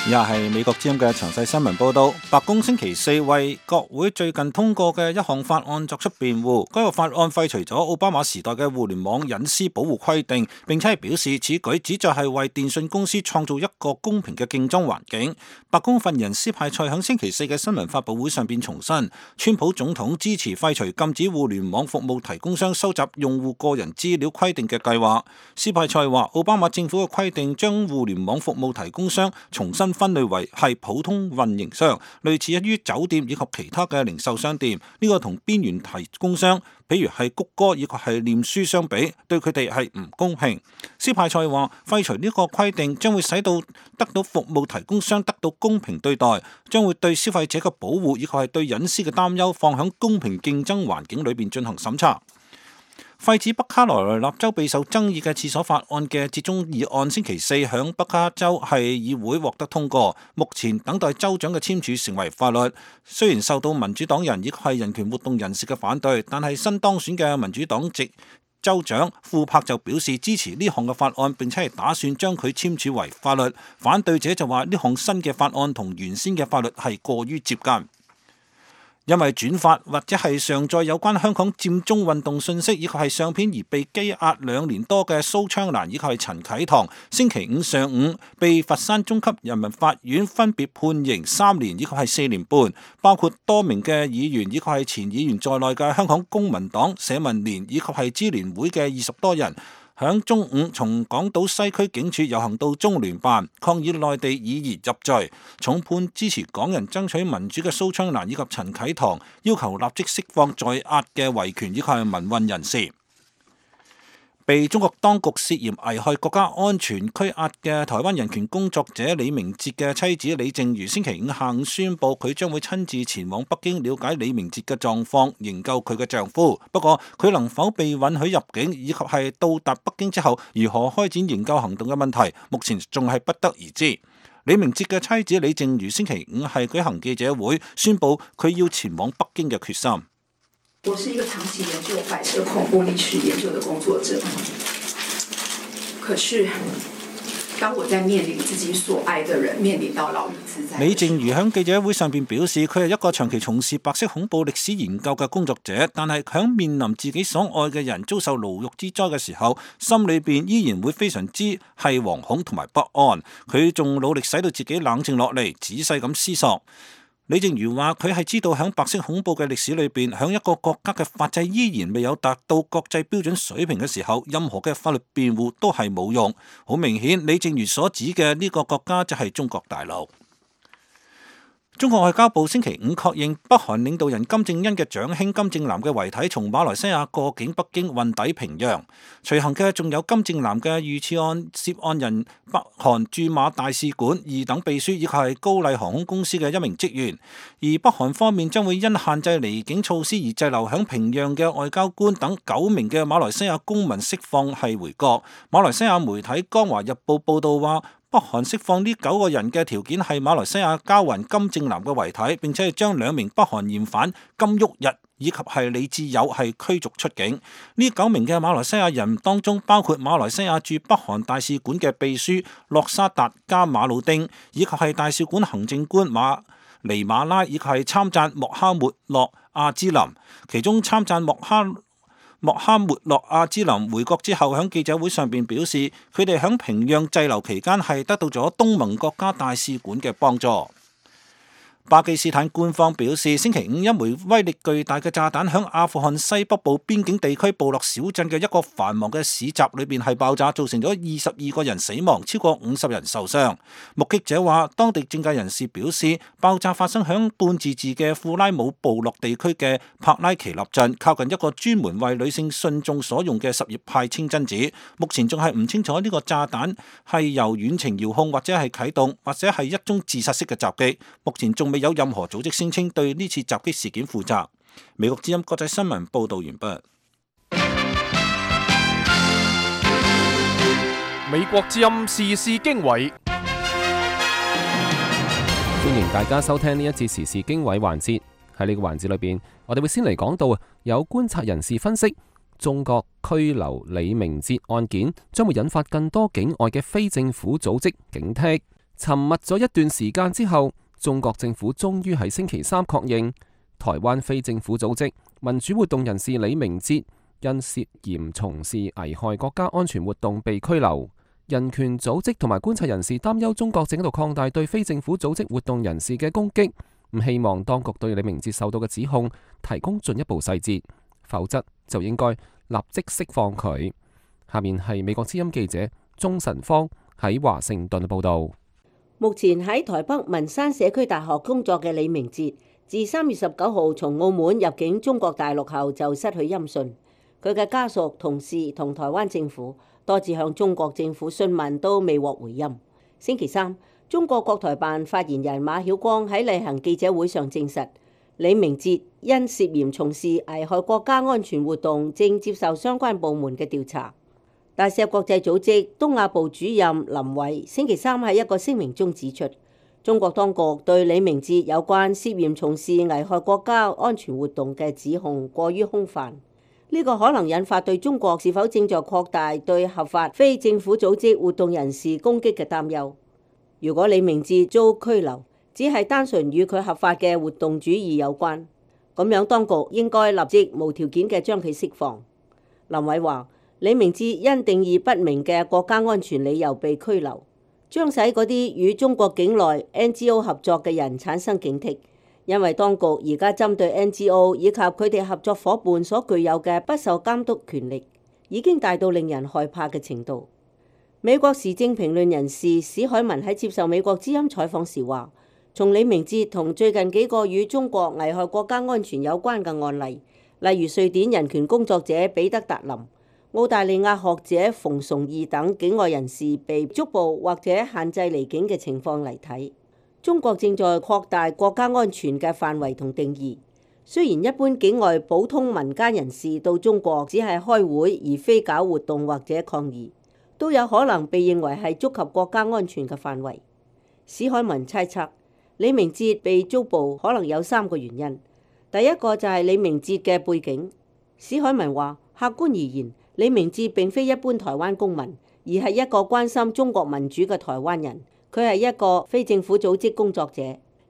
S4: 以下係美國之音嘅詳細新聞報道。白宮星期四為國會最近通過嘅一項法案作出辯護。該個法案廢除咗奧巴馬時代嘅互聯網隱私保護規定，並且係表示此舉旨在係為電信公司創造一個公平嘅競爭環境。白宮發言人斯派塞喺星期四嘅新聞發佈會上邊重申，川普總統支持廢除禁止互聯網服務提供商收集用戶個人資料規定嘅計劃。斯派塞話，奧巴馬政府嘅規定將互聯網服務提供商重新分類為係普通運營商，類似於酒店以及其他嘅零售商店。呢個同邊緣提供商，譬如係谷歌以及係臉書相比，對佢哋係唔公平。斯派塞話，廢除呢個規定將會使到得到服務提供商得到公平對待，將會對消費者嘅保護以及係對隱私嘅擔憂放喺公平競爭環境裏邊進行審查。廢止北卡羅來納州備受爭議嘅廁所法案嘅折中議案，星期四響北卡州係議會獲得通過，目前等待州長嘅簽署成為法律。雖然受到民主黨人以及係人權活動人士嘅反對，但係新當選嘅民主黨籍州長庫珀就表示支持呢項嘅法案，並且係打算將佢簽署為法律。反對者就話呢項新嘅法案同原先嘅法律係過於接近。因為轉發或者係上載有關香港佔中運動信息以及係相片而被羈押2年多嘅蘇昌蘭以及係陳啟堂，星期五上午被佛山中級人民法院分別判刑3年以及係4年半，包括多名嘅議員以及係前議員在內嘅香港公民黨、社民連以及係支聯會嘅20多人，響中午從港島西區警署遊行到中聯辦，抗議內地以言入罪，重判支持港人爭取民主嘅蘇昌蘭以及陳啟堂，要求立即釋放在押嘅維權以及係民運人士。被中國當局涉嫌危害國家安全拘押嘅台灣人權工作者李明哲嘅妻子李淨瑜，星期五下午宣布佢將會親自前往北京了解李明哲嘅狀況，營救佢嘅丈夫。不過佢能否被允許入境，以及係到達北京之後如何開展營救行動嘅問題，目前仲係不得而知。李明哲嘅妻子李淨瑜星期五係舉行記者會，宣布佢要前往北京嘅決心。
S10: 我是一個長期研究白色恐怖歷史研究的工作者，可是當我在面臨自己所愛的人面臨到牢獄之災。
S4: 李淨瑜喺記者會上邊表示，佢係一個長期從事白色恐怖歷史研究嘅工作者，但係喺面臨自己所愛嘅人遭受牢獄之災嘅時候，心裏邊依然會非常之係惶恐同埋不安。佢仲努力使到自己冷靜落嚟，仔細咁思索。李淨瑜話：佢係知道喺白色恐怖嘅歷史裏邊，喺一個國家嘅法制依然未有達到國際標準水平嘅時候，任何嘅法律辯護都係冇用。好明顯，李淨瑜所指嘅呢個國家就係中國大陸。中國外交部星期五確認，北韓領導人金正恩嘅長兄金正男嘅遺體從馬來西亞過境北京運抵平壤。隨行嘅仲有金正男嘅遇刺案涉案人、北韓駐馬大使館2等秘書以及係高麗航空公司嘅1名職員。而北韓方面將會因限制離境措施而滯留響平壤嘅外交官等9名嘅馬來西亞公民釋放係回國。馬來西亞媒體《江華日報》報道話，北韓釋放呢9個人嘅條件係馬來西亞交還金正男嘅遺體，並且係將2名北韓嫌犯金旭日以及係李智友係驅逐出境。呢9名嘅馬來西亞人當中，包括馬來西亞駐北韓大使館嘅秘書洛沙達加馬魯丁，以及係大使館行政官尼馬拉，以及係參贊莫哈末洛阿茲林。其中參贊莫哈末洛阿茲林回國之後，喺記者會上邊表示，佢哋喺平壤滯留期間係得到咗東盟國家大使館嘅幫助。巴基斯坦官方表示，星期五一枚威力巨大嘅炸彈響阿富汗西北部邊境地區部落小鎮嘅一個繁忙嘅市集裏邊係爆炸，造成咗22個人死亡，超過50人受傷。目擊者話，當地政界人士表示，爆炸發生響半自治嘅庫拉姆部落地區嘅帕拉奇納鎮，靠近一個專門為女性信眾所用嘅什葉派清真寺。目前仲係唔清楚呢個炸彈係由遠程遙控或者係啟動，或者係一宗自殺式嘅襲擊。目前仲未有任何組織聲稱對呢次襲擊事件負責。美國之音國際新聞報道完畢。
S1: 美國之音時事經緯，
S2: 歡迎大家收聽呢一節時事經緯環節。喺呢個環節裏邊，我哋會先嚟講到有觀察人士分析，中國拘留李明哲案件將會引發更多境外嘅非政府組織警惕。沉默咗一段時間之後，中國政府終於喺星期三確認，台灣非政府組織民主活動人士李明哲因涉嫌從事危害國家安全活動被拘留。人權組織同埋觀察人士擔憂中國正喺度擴大對非政府組織活動人士嘅攻擊，唔希望當局對李明哲受到嘅指控提供進一步細節，否則就應該立即釋放佢。下面係美國之音記者鍾晨芳喺華盛頓報道。
S5: 目前喺台北文山社區大學工作嘅李明哲，自3月19號從澳門入境中國大陸後就失去音訊。佢嘅家屬、同事同台灣政府多次向中國政府詢問，都未獲回音。星期三，中國國台辦發言人馬曉光喺例行記者會上證實，李明哲因涉嫌從事危害國家安全活動，正接受相關部門嘅調查。大石國際組織東亞部主任林偉星期三喺一個聲明中指出，中國當局對李明哲有關涉嫌從事危害國家安全活動嘅指控過於空泛，呢個可能引發對中國是否正在擴大對合法非政府組織活動人士攻擊嘅擔憂。如果李明哲遭拘留，只係單純與佢合法嘅活動主義有關，咁樣當局應該立即無條件嘅將佢釋放。林偉話，李明哲因定義不明嘅國家安全理由被拘留，將使嗰啲與中國境內 NGO 合作嘅人產生警惕，因為當局而家針對 NGO 以及佢哋合作伙伴所具有嘅不受監督權力，已經大到令人害怕嘅程度。美國時政評論人士史海文喺接受美國之音採訪時話，從李明哲同最近幾個與中國危害國家安全有關嘅案例，例如瑞典人權工作者彼得達林、澳大利亞學者馮崇義等境外人士被捉捕或者限制離境嘅情況嚟睇，中國正在擴大國家安全嘅範圍同定義。雖然一般境外普通民間人士到中國只係開會而非搞活動或者抗議，都有可能被認為係觸及國家安全嘅範圍。史海文猜測，李明哲被捉捕可能有3個原因。第一個就係李明哲嘅背景。史海文話，客觀而言，李明哲並非一般台灣公民，而係一個關心中國民主嘅台灣人。佢係一個非政府組織工作者，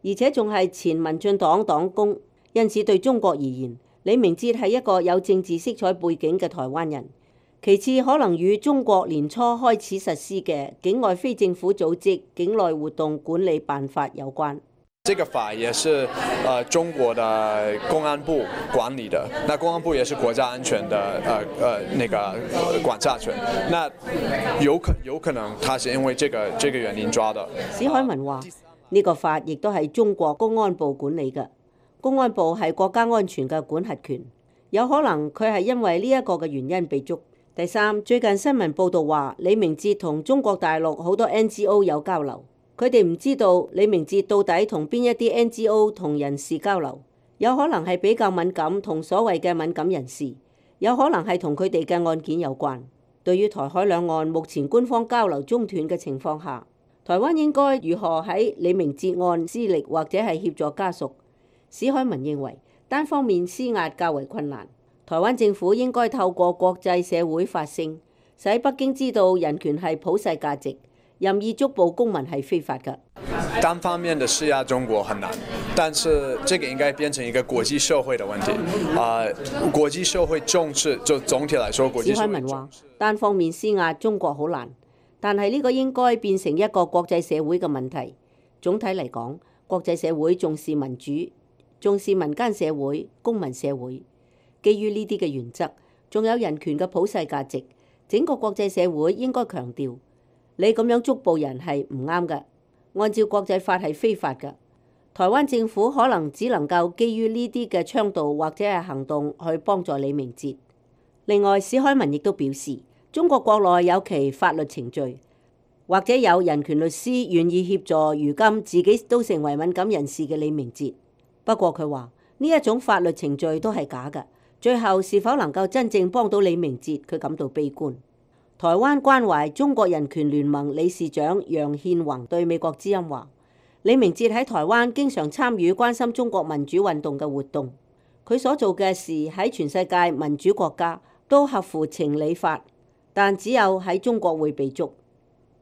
S5: 而且仲係前民進黨黨工。因此對中國而言，李明哲係一個有政治色彩背景嘅台灣人。其次，可能與中國年初開始實施嘅境外非政府組織境內活動管理辦法有關。
S11: 這個法也是中國的公安部管理的，那公安部也是國家安全的那個管轄權，那有可能他是因為這個原因抓的。
S5: 史海文話：呢個法亦都係中國公安部管理嘅，公安部係國家安全嘅管轄權，有可能佢係因為呢一個嘅原因被捉。第三，最近新聞報道話李明哲同中國大陸好多 NGO 有交流。佢哋唔知道李明哲到底同邊一啲 NGO 同人士交流，有可能係比較敏感同所謂嘅敏感人士，有可能係同佢哋嘅案件有關。對於台海兩岸目前官方交流中斷嘅情況下，台灣應該如何喺李明哲案施力或者係協助家屬？史海文認為單方面施壓較為困難，台灣政府應該透過國際社會發聲，使北京知道人權係普世價值。任意捉捕公民係非法的。
S11: 單方面的施壓中國很難，但是這個應該變成一個國際社會的問題。國際社會重視，就總體來說，國際社會重視。史海文話：單方面施壓中國好難，但係呢個應該變成一個國際社會嘅問題。總體嚟講，
S5: 國際社會重視民主，重視民間社會、公民社會。基於呢啲嘅原則，仲有人權嘅普世價值，整個國際社會應該強調，你咁樣捉捕人係唔啱嘅，按照國際法係非法嘅。台灣政府可能只能夠基於呢啲嘅倡導或者係行動去幫助李明哲。另外，史海文亦都表示，中國國內有其法律程序，或者有人權律師願意協助如今自己都成為敏感人士嘅李明哲。不過佢話呢一種法律程序都係假嘅，最後是否能夠真正幫到李明哲，佢感到悲觀。台灣關懷中國人權聯盟理事長楊憲宏對美國之音話，李明哲喺台灣經常參與關心中國民主運動嘅活動，佢所做嘅事喺全世界民主國家都合乎情理法，但只有喺中國會被捉。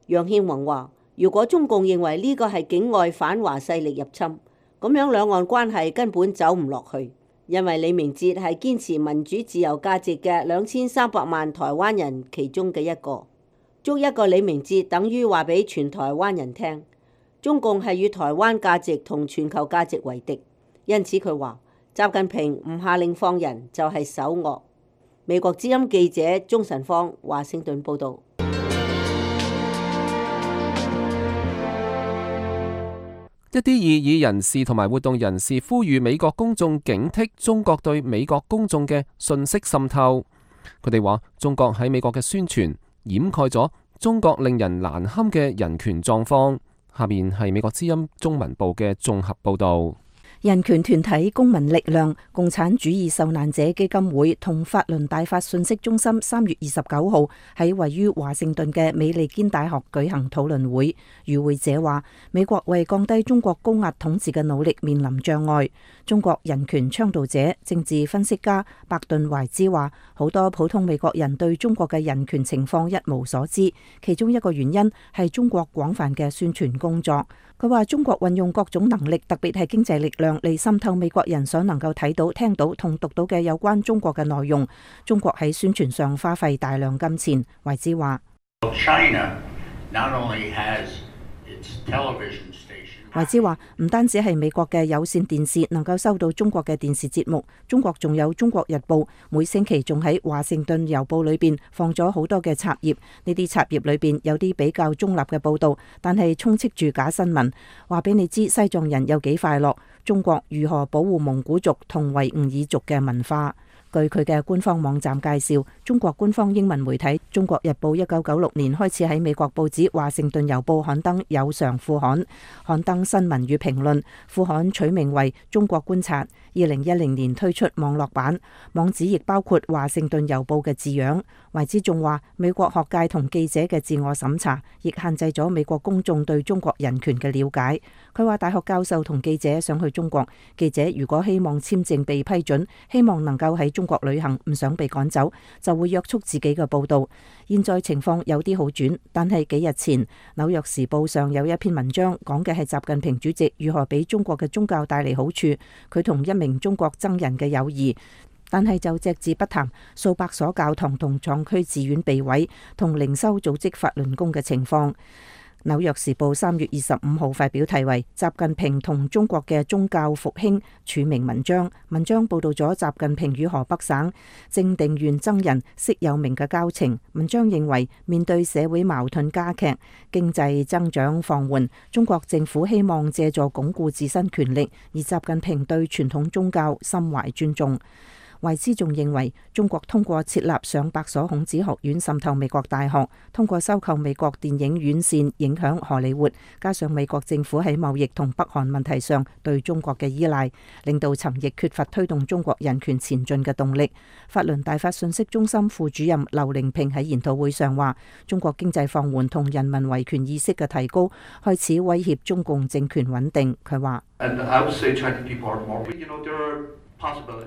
S5: 楊憲宏話，如果中共認為呢個係境外反華勢力入侵，咁樣兩岸關係根本走唔落去，因為李明哲係堅持民主自由價值嘅2300萬台灣人其中嘅一個。捉一個李明哲等於話俾全台灣人聽，中共係與台灣價值同全球價值為敵，因此佢話習近平唔下令放人就係首惡。美國之音記者鍾晨芳華盛頓報導。
S2: 一啲異議人士同埋活動人士呼籲美國公眾警惕中國對美國公眾嘅信息滲透。佢哋話中國喺美國嘅宣傳掩蓋咗中國令人難堪嘅人權狀況。下面係美國之音中文部嘅綜合報導。
S9: 人權團體公民力量、共產主義受難者基金會同法輪大法信息中心3月29號喺位於華盛頓嘅美利堅大學舉行討論會。與會者話，美國為降低中國高壓統治嘅努力面臨障礙。中國人權倡導者、政治分析家白頓懷茲話，好多普通美國人對中國嘅人權情況一無所知，其中一個原因係中國廣泛嘅宣傳工作。佢話中國運用各種能力，特別係經濟力量嚟滲透美國人所能夠睇到、聽到同讀到嘅有關中國嘅內容。中國喺宣傳上花費大量金錢。懷茲話，懷茲話唔單止係美國嘅有線電視能夠收到中國嘅電視節目，中國仲有中國日報，每星期仲喺華盛頓郵報裏邊放咗好多嘅插頁，呢啲插頁裏邊有啲比較中立嘅報道，但係充斥住假新聞，話俾你知西藏人有幾快樂，中國如何保護蒙古族同維吾爾族嘅文化。據佢嘅官方網站介紹，中國官方英文媒體《中國日報》1996年開始喺美國報紙《華盛頓郵報》刊登有償副刊，刊登新聞與評論。副刊取名為《中國觀察》。2010年推出網絡版，網址亦包括《華盛頓郵報》嘅字樣。懷茲仲話，美國學界同記者嘅自我審查，亦限制咗美國公眾對中國人權嘅了解。佢話大學教授同記者想去中國，記者如果希望簽證被批准，希望能夠喺中國旅行，唔想被趕走，就會約束自己嘅報道。現在情況有啲好轉，但係幾日前紐約時報上有一篇文章，講嘅係習近平主席如何俾中國嘅宗教帶嚟好處，佢同一名中國僧人嘅友誼，但係就隻字不談數百所教堂同藏區寺院被毀，同靈修組織法輪功嘅情況。紐約時報3月25號發表題為《習近平同中國嘅宗教復興》署名文章，文章報道咗習近平與河北省正定縣僧人釋有明嘅交情。文章認為，面對社會矛盾加劇、經濟增長放緩，中國政府希望借助鞏固自身權力，而習近平對傳統宗教心懷尊重。懷茲仲認為，中國通過設立上百所孔子學院滲透美國大學，通過收購美國電影院線影響荷里活，加上美國政府喺貿易同北韓問題上對中國嘅依賴，令到尋亦缺乏推動中國人權前進嘅動力。法輪大法信息中心副主任劉玲平喺研討會上話，中國經濟放緩同人民維權意識嘅提高，開始威脅中共政權穩定。佢話，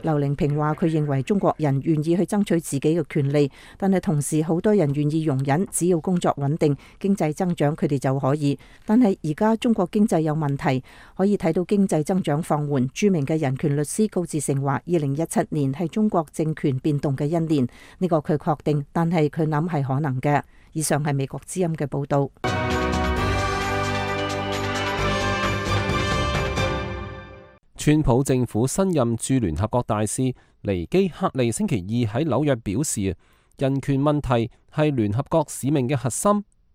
S9: 劉玲平話，佢認為中國人願意去爭取自己嘅權利，但係同時好多人願意容忍，只要工作穩定、經濟增長，佢哋就可以。但係而家中國經濟有問題，可以睇到經濟增長放緩。著名嘅人權律師高志成話，2017年係中國政權變動嘅一年，呢個佢確定，但係佢諗係可能嘅。以上係美國之音嘅報道。
S2: 川普政府新任駐聯合國大使尼基克利星期二喺紐約表示，人權問題係聯合國使命嘅核心。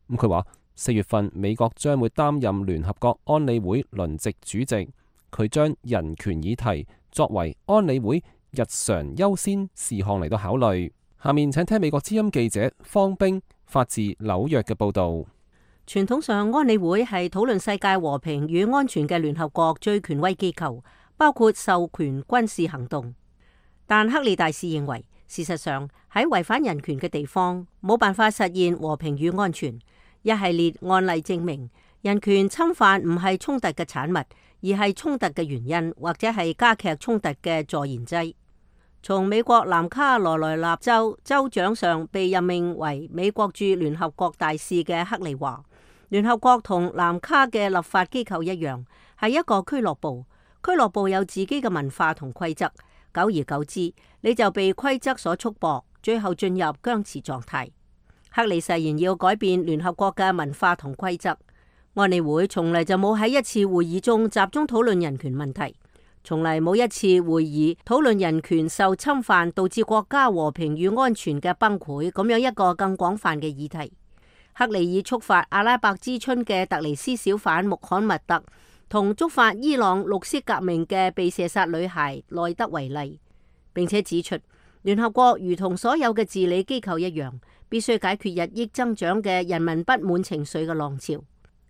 S2: 咁佢話4月份美國將會擔任聯合國安理會輪值主席，佢將人權議題作為安理會日常優先事項嚟到考慮。下面請聽美國之音記者方冰發自紐約嘅報道。
S5: 傳統上，安理會係討論世界和平與安全嘅聯合國最權威機構，包括授權軍事行動。但克利大使認為，事實上喺違反人權嘅地方，冇辦法實現和平與安全。一系列案例證明，人權侵犯唔係衝突嘅產物，而係衝突嘅原因，或者係加劇衝突嘅助燃劑。從美國南卡羅來納州州長上被任命為美國駐聯合國大使嘅克利話，聯合國同南卡嘅立法機構一樣，係一個俱樂部。俱樂部有自己嘅文化同規則，久而久之，你就被規則所束縛，最後進入僵持狀態。克利誓言要改變聯合國嘅文化同規則。安理會從嚟就冇喺一次會議中集中討論人權問題，從嚟冇一次會議討論人權受侵犯導致國家和平與安全嘅崩潰，咁樣一個更廣泛嘅議題。克利以觸發阿拉伯之春嘅特尼斯小販穆罕默德同觸發伊朗綠色革命嘅被射殺女孩內德為例，並且指出聯合國如同所有嘅治理機構一樣，必須解決日益增長嘅人民不滿情緒嘅浪潮。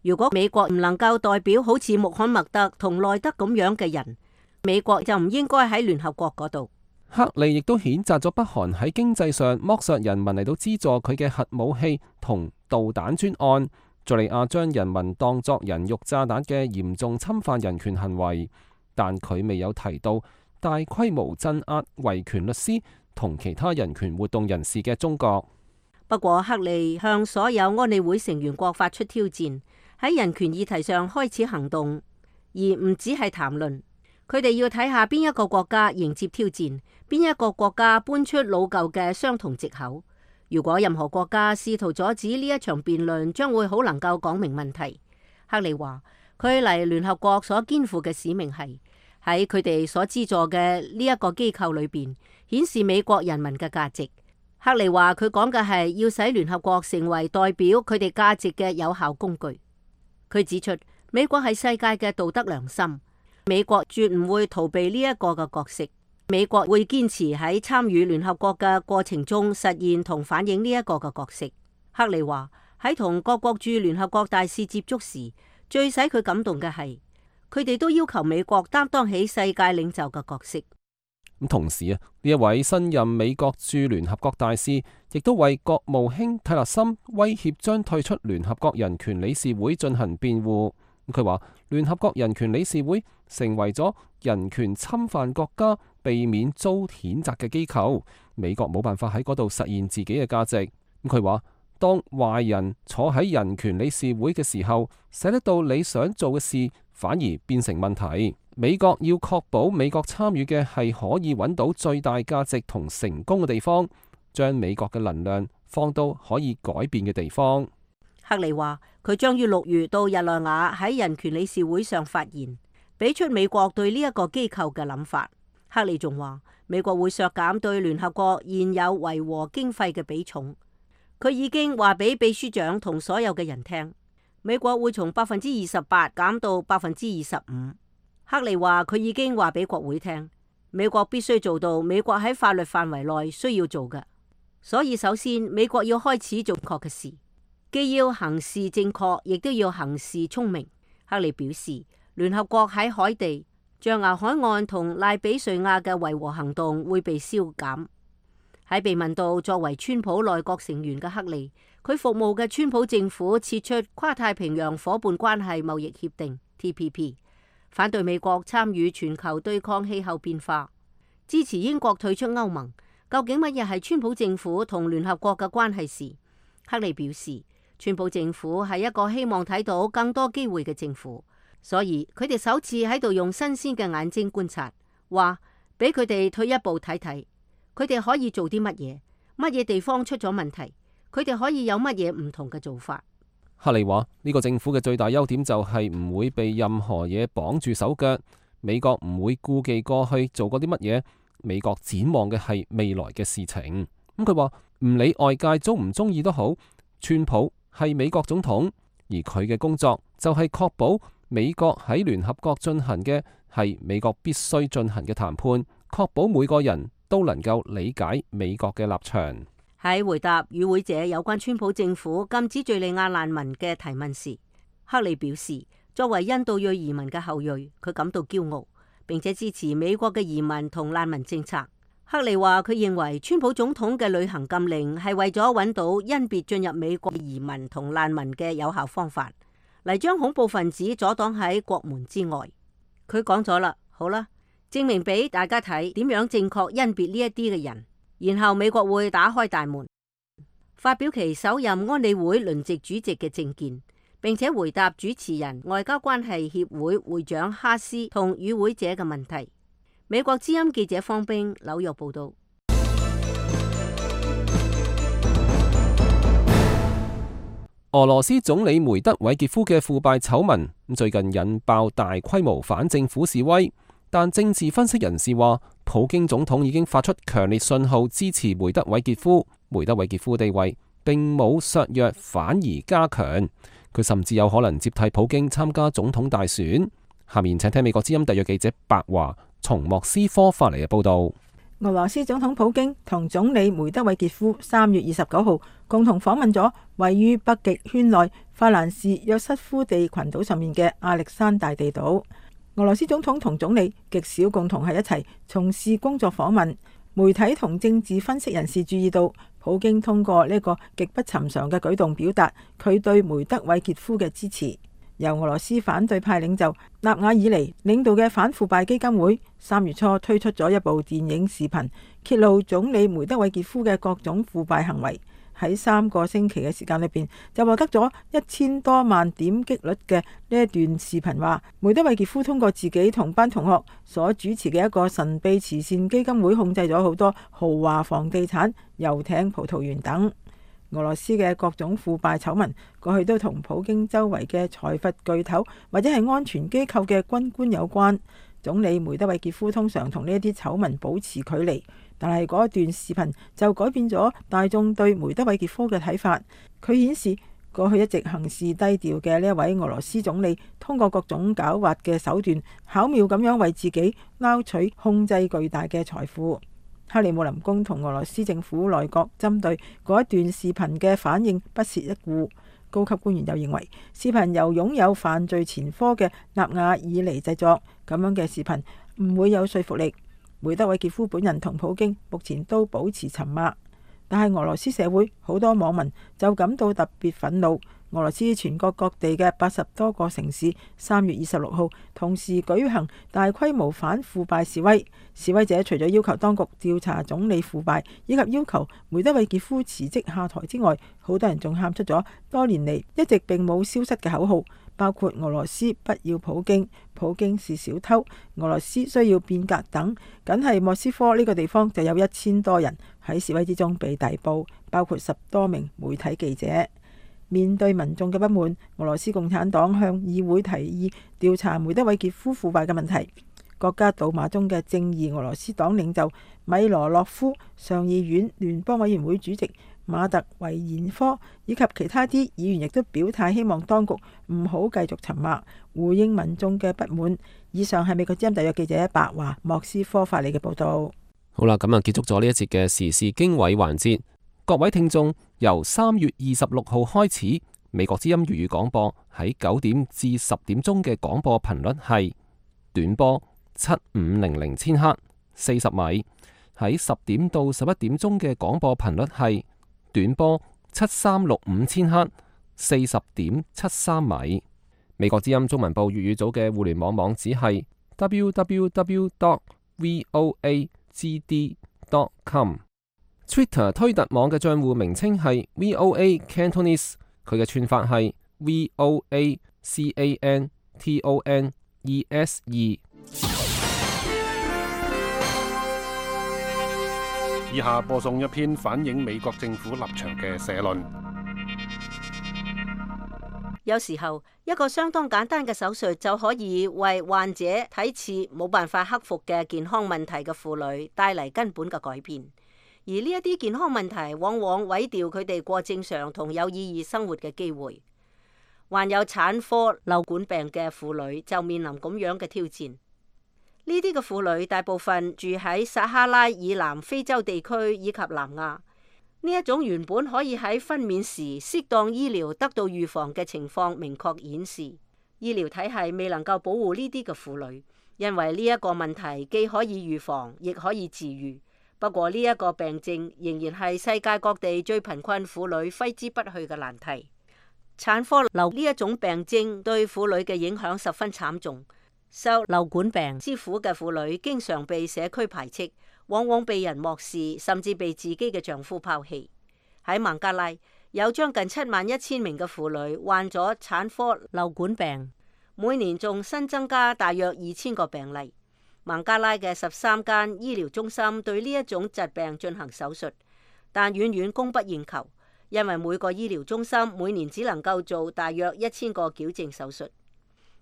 S5: 如果美國唔能夠代表好似穆罕默德同內德咁樣嘅人，美國就唔應該喺聯合國嗰度。
S2: 克利亦都譴責咗北韓喺經濟上剝削人民嚟到資助佢嘅核武器同導彈專案，敘利亞將人民當作人肉炸彈嘅嚴重侵犯人權行為，但佢未有提到大規模鎮壓維權律師同其他人權活動人士嘅中國。
S5: 不過克利向所有安理會成員國發出挑戰，喺人權議題上開始行動，而唔只係談論。佢哋要睇下邊一個國家迎接挑戰，邊一個國家搬出老舊嘅相同藉口。如果任何國家試圖阻止呢一場辯論，將會好能夠講明問題。克利話佢嚟聯合國所肩負嘅使命係喺佢哋所資助嘅呢一個機構裏邊顯示美國人民嘅價值。克利話佢講嘅係要使聯合國成為代表佢哋價值嘅有效工具。佢指出美國係世界嘅道德良心，美國絕唔會逃避呢一個嘅角色。美國會堅持喺參與聯合國嘅過程中實現同反映呢一個嘅角色。克利話喺同各國駐聯合國大使接觸時，最使佢感動嘅係佢哋都要求美國擔當起世界領袖嘅角色。
S2: 咁同時啊，呢一位新任美國駐聯合國大使亦都為國務卿蒂勒森威脅將退出聯合國人權理事會進行辯護。佢話聯合國人權理事會成為咗人權侵犯國家避免遭譴責嘅機構，美國冇辦法喺嗰度實現自己嘅價值。佢話當壞人坐喺人權理事會嘅時候，寫得到你想做嘅事反而變成問題。美國要確保美國參與嘅係可以揾到最大價值同成功嘅地方，將美國嘅能量放到可以改變嘅地方。
S5: 克利話佢將於6月到日內瓦喺人權理事會上發言，俾出美國對呢一個機構嘅諗法。克利仲話美國會削減對聯合國現有維和經費嘅比重。佢已經話俾秘書長同所有嘅人聽，美國會從28%減到25%。克利話佢已經話俾國會聽，美國必須做到美國喺法律範圍內需要做嘅。所以首先美國要開始做確嘅事，既要行事正確，亦都要行事聰明。克利表示，聯合國喺海地、象牙海岸同賴比瑞亞嘅維和行動會被消減。喺被問到作為川普內閣成員嘅克利，佢服務嘅川普政府撤出跨太平洋夥伴關係貿易協定 TPP， 反對美國參與全球對抗氣候變化，支持英國退出歐盟。究竟乜嘢係川普政府同聯合國嘅關係時，克利表示，川普政府係一個希望睇到更多機會嘅政府，所以佢哋首次喺度用新鮮嘅眼睛觀察，話俾佢哋退一步睇睇，佢哋可以做啲乜嘢，乜嘢地方出咗問題，佢哋可以有乜嘢唔同嘅做法。克
S2: 利話呢個政府嘅最大優點就係唔會被任何嘢綁住手腳。美國唔會顧忌過去做過啲乜嘢，美國展望嘅係未來嘅事情。咁佢話唔理外界鍾唔鍾意都好，川普係美國總統，而佢嘅工作就係確保美國喺聯合國進行嘅係美國必須進行嘅談判，確保每個人都能夠理解美國嘅立場。
S5: 喺回答與會者有關川普政府禁止敘利亞難民嘅提問時，克里表示，作為印度裔移民嘅後裔，佢感到驕傲，並且支持美國嘅移民同難民政策。克里話佢認為川普總統嘅旅行禁令係為咗揾到因別進入美國移民同難民嘅有效方法，嚟將恐怖分子阻擋喺國門之外。佢講咗啦，好啦，證明俾大家睇點樣正確甄別呢一啲嘅人，然後美國會打開大門，發表其首任安理會輪值主席嘅政見，並且回答主持人外交關係協會會長哈斯同與會者嘅問題。美國之音記者方冰紐約報道。
S2: 俄羅斯總理梅德韋傑夫嘅腐敗醜聞最近引爆大規模反政府示威，但政治分析人士話，普京總統已經發出強烈信號支持梅德韋傑夫，梅德韋傑夫地位並冇削弱，反而加強，佢甚至有可能接替普京參加總統大選。下面請聽美國之音特約記者白華從莫斯科發嚟嘅報道。
S6: 俄羅斯總統普京同總理梅德韋傑夫3月29號共同訪問咗位於北極圈內法蘭士約瑟夫地群島上面嘅亞歷山大地島。俄羅斯總統同總理極少共同係一齊從事工作訪問。媒體同政治分析人士注意到，普京通過呢個極不尋常嘅舉動表達佢對梅德韋傑夫嘅支持。由俄羅斯反對派領袖納瓦爾尼領導嘅反腐敗基金會3月初推出咗一部電影視頻，揭露總理梅德韋傑夫嘅各種腐敗行為。喺3個星期嘅時間裏邊，就獲得咗1000多萬點擊率嘅呢一段視頻，話梅德韋傑夫通過自己同班同學所主持嘅一個神秘慈善基金會，控制咗好多豪華房地產、遊艇、葡萄園等。俄羅斯嘅各種腐敗醜聞過去都同普京周圍嘅財閥巨頭或者係安全機構嘅軍官有關。總理梅德韋傑夫通常同呢啲醜聞保持距離，但係嗰一段視頻就改變咗大眾對梅德韋傑夫嘅睇法。佢顯示過去一直行事低調嘅呢一位俄羅斯總理，通過各種狡猾嘅手段，巧妙咁樣為自己撈取控制巨大嘅財富。克里姆林宮同俄羅斯政府內閣針對嗰一段視頻嘅反應不屑一顧。高級官員又認為，視頻由擁有犯罪前科嘅納瓦爾尼製作，咁樣嘅視頻唔會有說服力。梅德韋傑夫本人同普京目前都保持沉默，但係俄羅斯社會好多網民就感到特別憤怒。俄羅斯全國各地嘅80多個城市3月26號同時舉行大規模反腐敗示威。示威者除咗要求當局調查總理腐敗，以及要求梅德韋傑夫辭職下台之外，好多人仲喊出咗多年嚟一直並冇消失嘅口號，包括俄羅斯不要普京、普京是小偷、俄羅斯需要變革等。僅係莫斯科呢個地方就有1000多人喺示威之中被逮捕，包括10多名媒體記者。面對民眾嘅不滿，俄羅斯共產黨向議會提議調查梅德韋傑夫腐敗嘅問題。國家杜馬中嘅正義俄羅斯黨領袖米羅洛夫、上議院聯邦委員會主席馬特維延科以及其他啲議員亦都表態，希望當局唔好繼續沉默，回應民眾嘅不滿。以上係美國之音特約記者白華莫斯科發嚟嘅報道。
S2: 好啦，咁啊結束咗呢一節嘅時事經緯環節。各位聽眾，由3月26號開始，美國之音粵語廣播喺9點至10點鐘嘅廣播頻率係短波7500千赫40米，喺10點到11點鐘嘅廣播頻率係短波7365千赫40.73米。美國之音中文部粵語組嘅互聯網網址係 www.voagd.com。Twitter 推特網嘅賬戶名稱係 VOA Cantonese， 佢嘅串法係 VOACANTONESE。
S12: 以下播送一篇反映美國政府立場嘅社論。
S5: 有時候一個相當簡單嘅手術就可以為患者睇似冇辦法克服嘅健康問題嘅婦女帶嚟根本嘅改變，而呢一啲健康問題往往毀掉佢哋過正常同有意義生活嘅機會。患有產科瘻管病嘅婦女就面臨咁樣嘅挑戰。呢啲嘅婦女大部分住喺撒哈拉以南非洲地區以及南亞。呢一種原本可以喺分娩時適當醫療得到預防嘅情況，明確顯示醫療體系未能夠保護呢啲嘅婦女，因為呢一個問題既可以預防，亦可以治癒。不過呢一個病症仍然係世界各地最貧困婦女揮之不去嘅難題。產科瘻呢一種病症對婦女嘅影響十分慘重。受瘻管病之苦嘅婦女經常被社區排斥，往往被人漠視，甚至被自己嘅丈夫拋棄。喺孟加拉有將近71000名嘅婦女患咗產科瘻管病，每年仲新增加大約2000個病例。孟加拉嘅13間醫療中心對呢一種疾病進行手術，但遠遠供不應求，因為每個醫療中心每年只能夠做大約1000個矯正手術。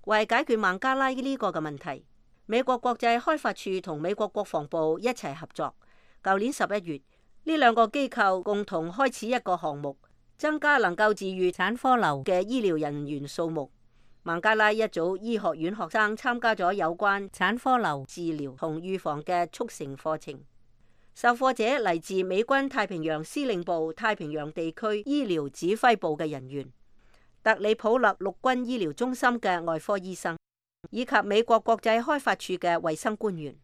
S5: 為解決孟加拉呢個嘅問題，美國國際開發署同美國國防部一齊合作。舊年11月，呢兩個機構共同開始一個項目，增加能夠治癒產科瘻嘅醫療人員數目。孟加拉一組醫學院學生參加咗有關產科瘻治療同預防嘅速成課程。受課者嚟自美軍太平洋司令部太平洋地區醫療指揮部嘅人員、特里普勒陸軍醫療中心嘅外科醫生，以及美國國際開發署嘅衛生官員。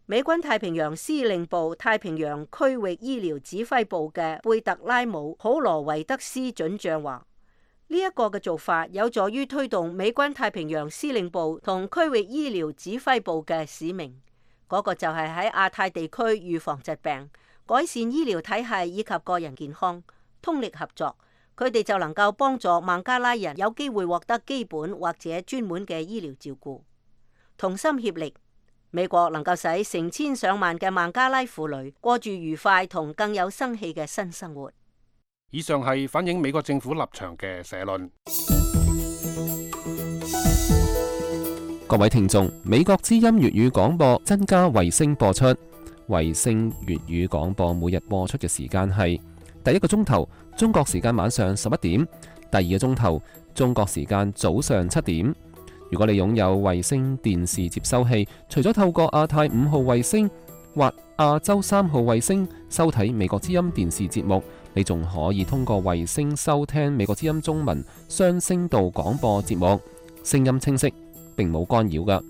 S5: 美軍太平洋司令部太平洋區域醫療指揮部嘅貝特拉姆普羅維德斯准將話：呢一個嘅做法有助於推動美軍太平洋司令部同區域醫療指揮部嘅使命，嗰個就係喺亞太地區預防疾病、改善醫療體系以及個人健康，通力合作，佢哋就能夠幫助孟加拉人有機會獲得基本或者專門嘅醫療照顧。同心協力，美國能夠使成千上萬嘅孟加拉婦女過住愉快同更有生氣嘅新生活。
S12: 以上係反映美國政府立場嘅社論。
S2: 各位聽眾，美國之音粵語廣播增加衛星播出，衛星粵語廣播每日播出嘅時間係第一個鐘頭中國時間晚上11點，第二個鐘頭中國時間早上7點。如果你擁有衛星電視接收器，除咗透過亞太5號衛星或亞洲3號衛星收睇美國之音電視節目，你仲可以通過衛星收聽美國之音中文雙聲道廣播節目，聲音清晰，並冇干擾㗎。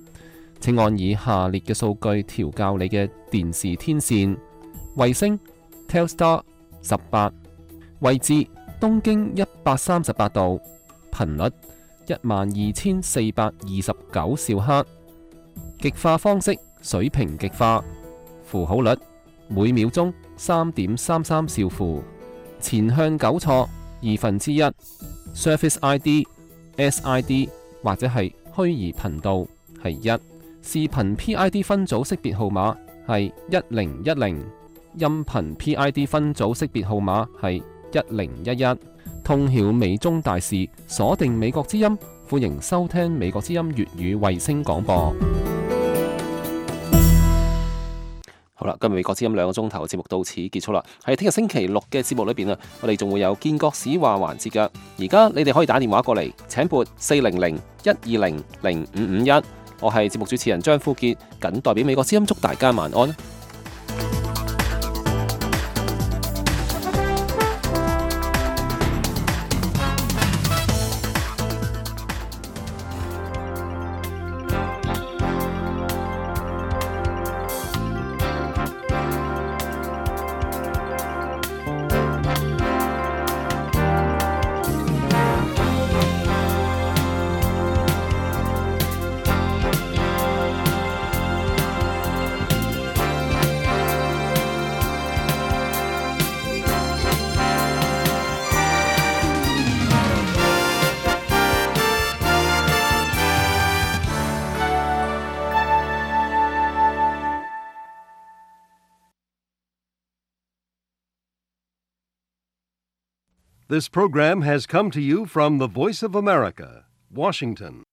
S2: 請按以下列嘅數據調校你嘅電視天線：衛星 Telstar 18，位置東經138度，頻率12429兆赫，極化方式水平極化，符號率每秒鐘3.33兆符，前向糾錯1/2， Surface ID SID 或者係虛擬頻道係1，視頻 PID 分組識別號碼係1010，音頻 PID 分組識別號碼係1011。通曉美中大事，鎖定美國之音，歡迎收聽美國之音粵語衛星廣播。好啦，今日美國之音2個鐘頭嘅節目到此結束啦。喺聽日星期六嘅節目裏邊啊，我哋仲會有建國史話環節噶。而家你哋可以打電話過嚟，請撥400-120-0551。我係節目主持人張富傑，謹代表美國之音祝大家晚安。
S13: This program has come to you from the Voice of America, Washington.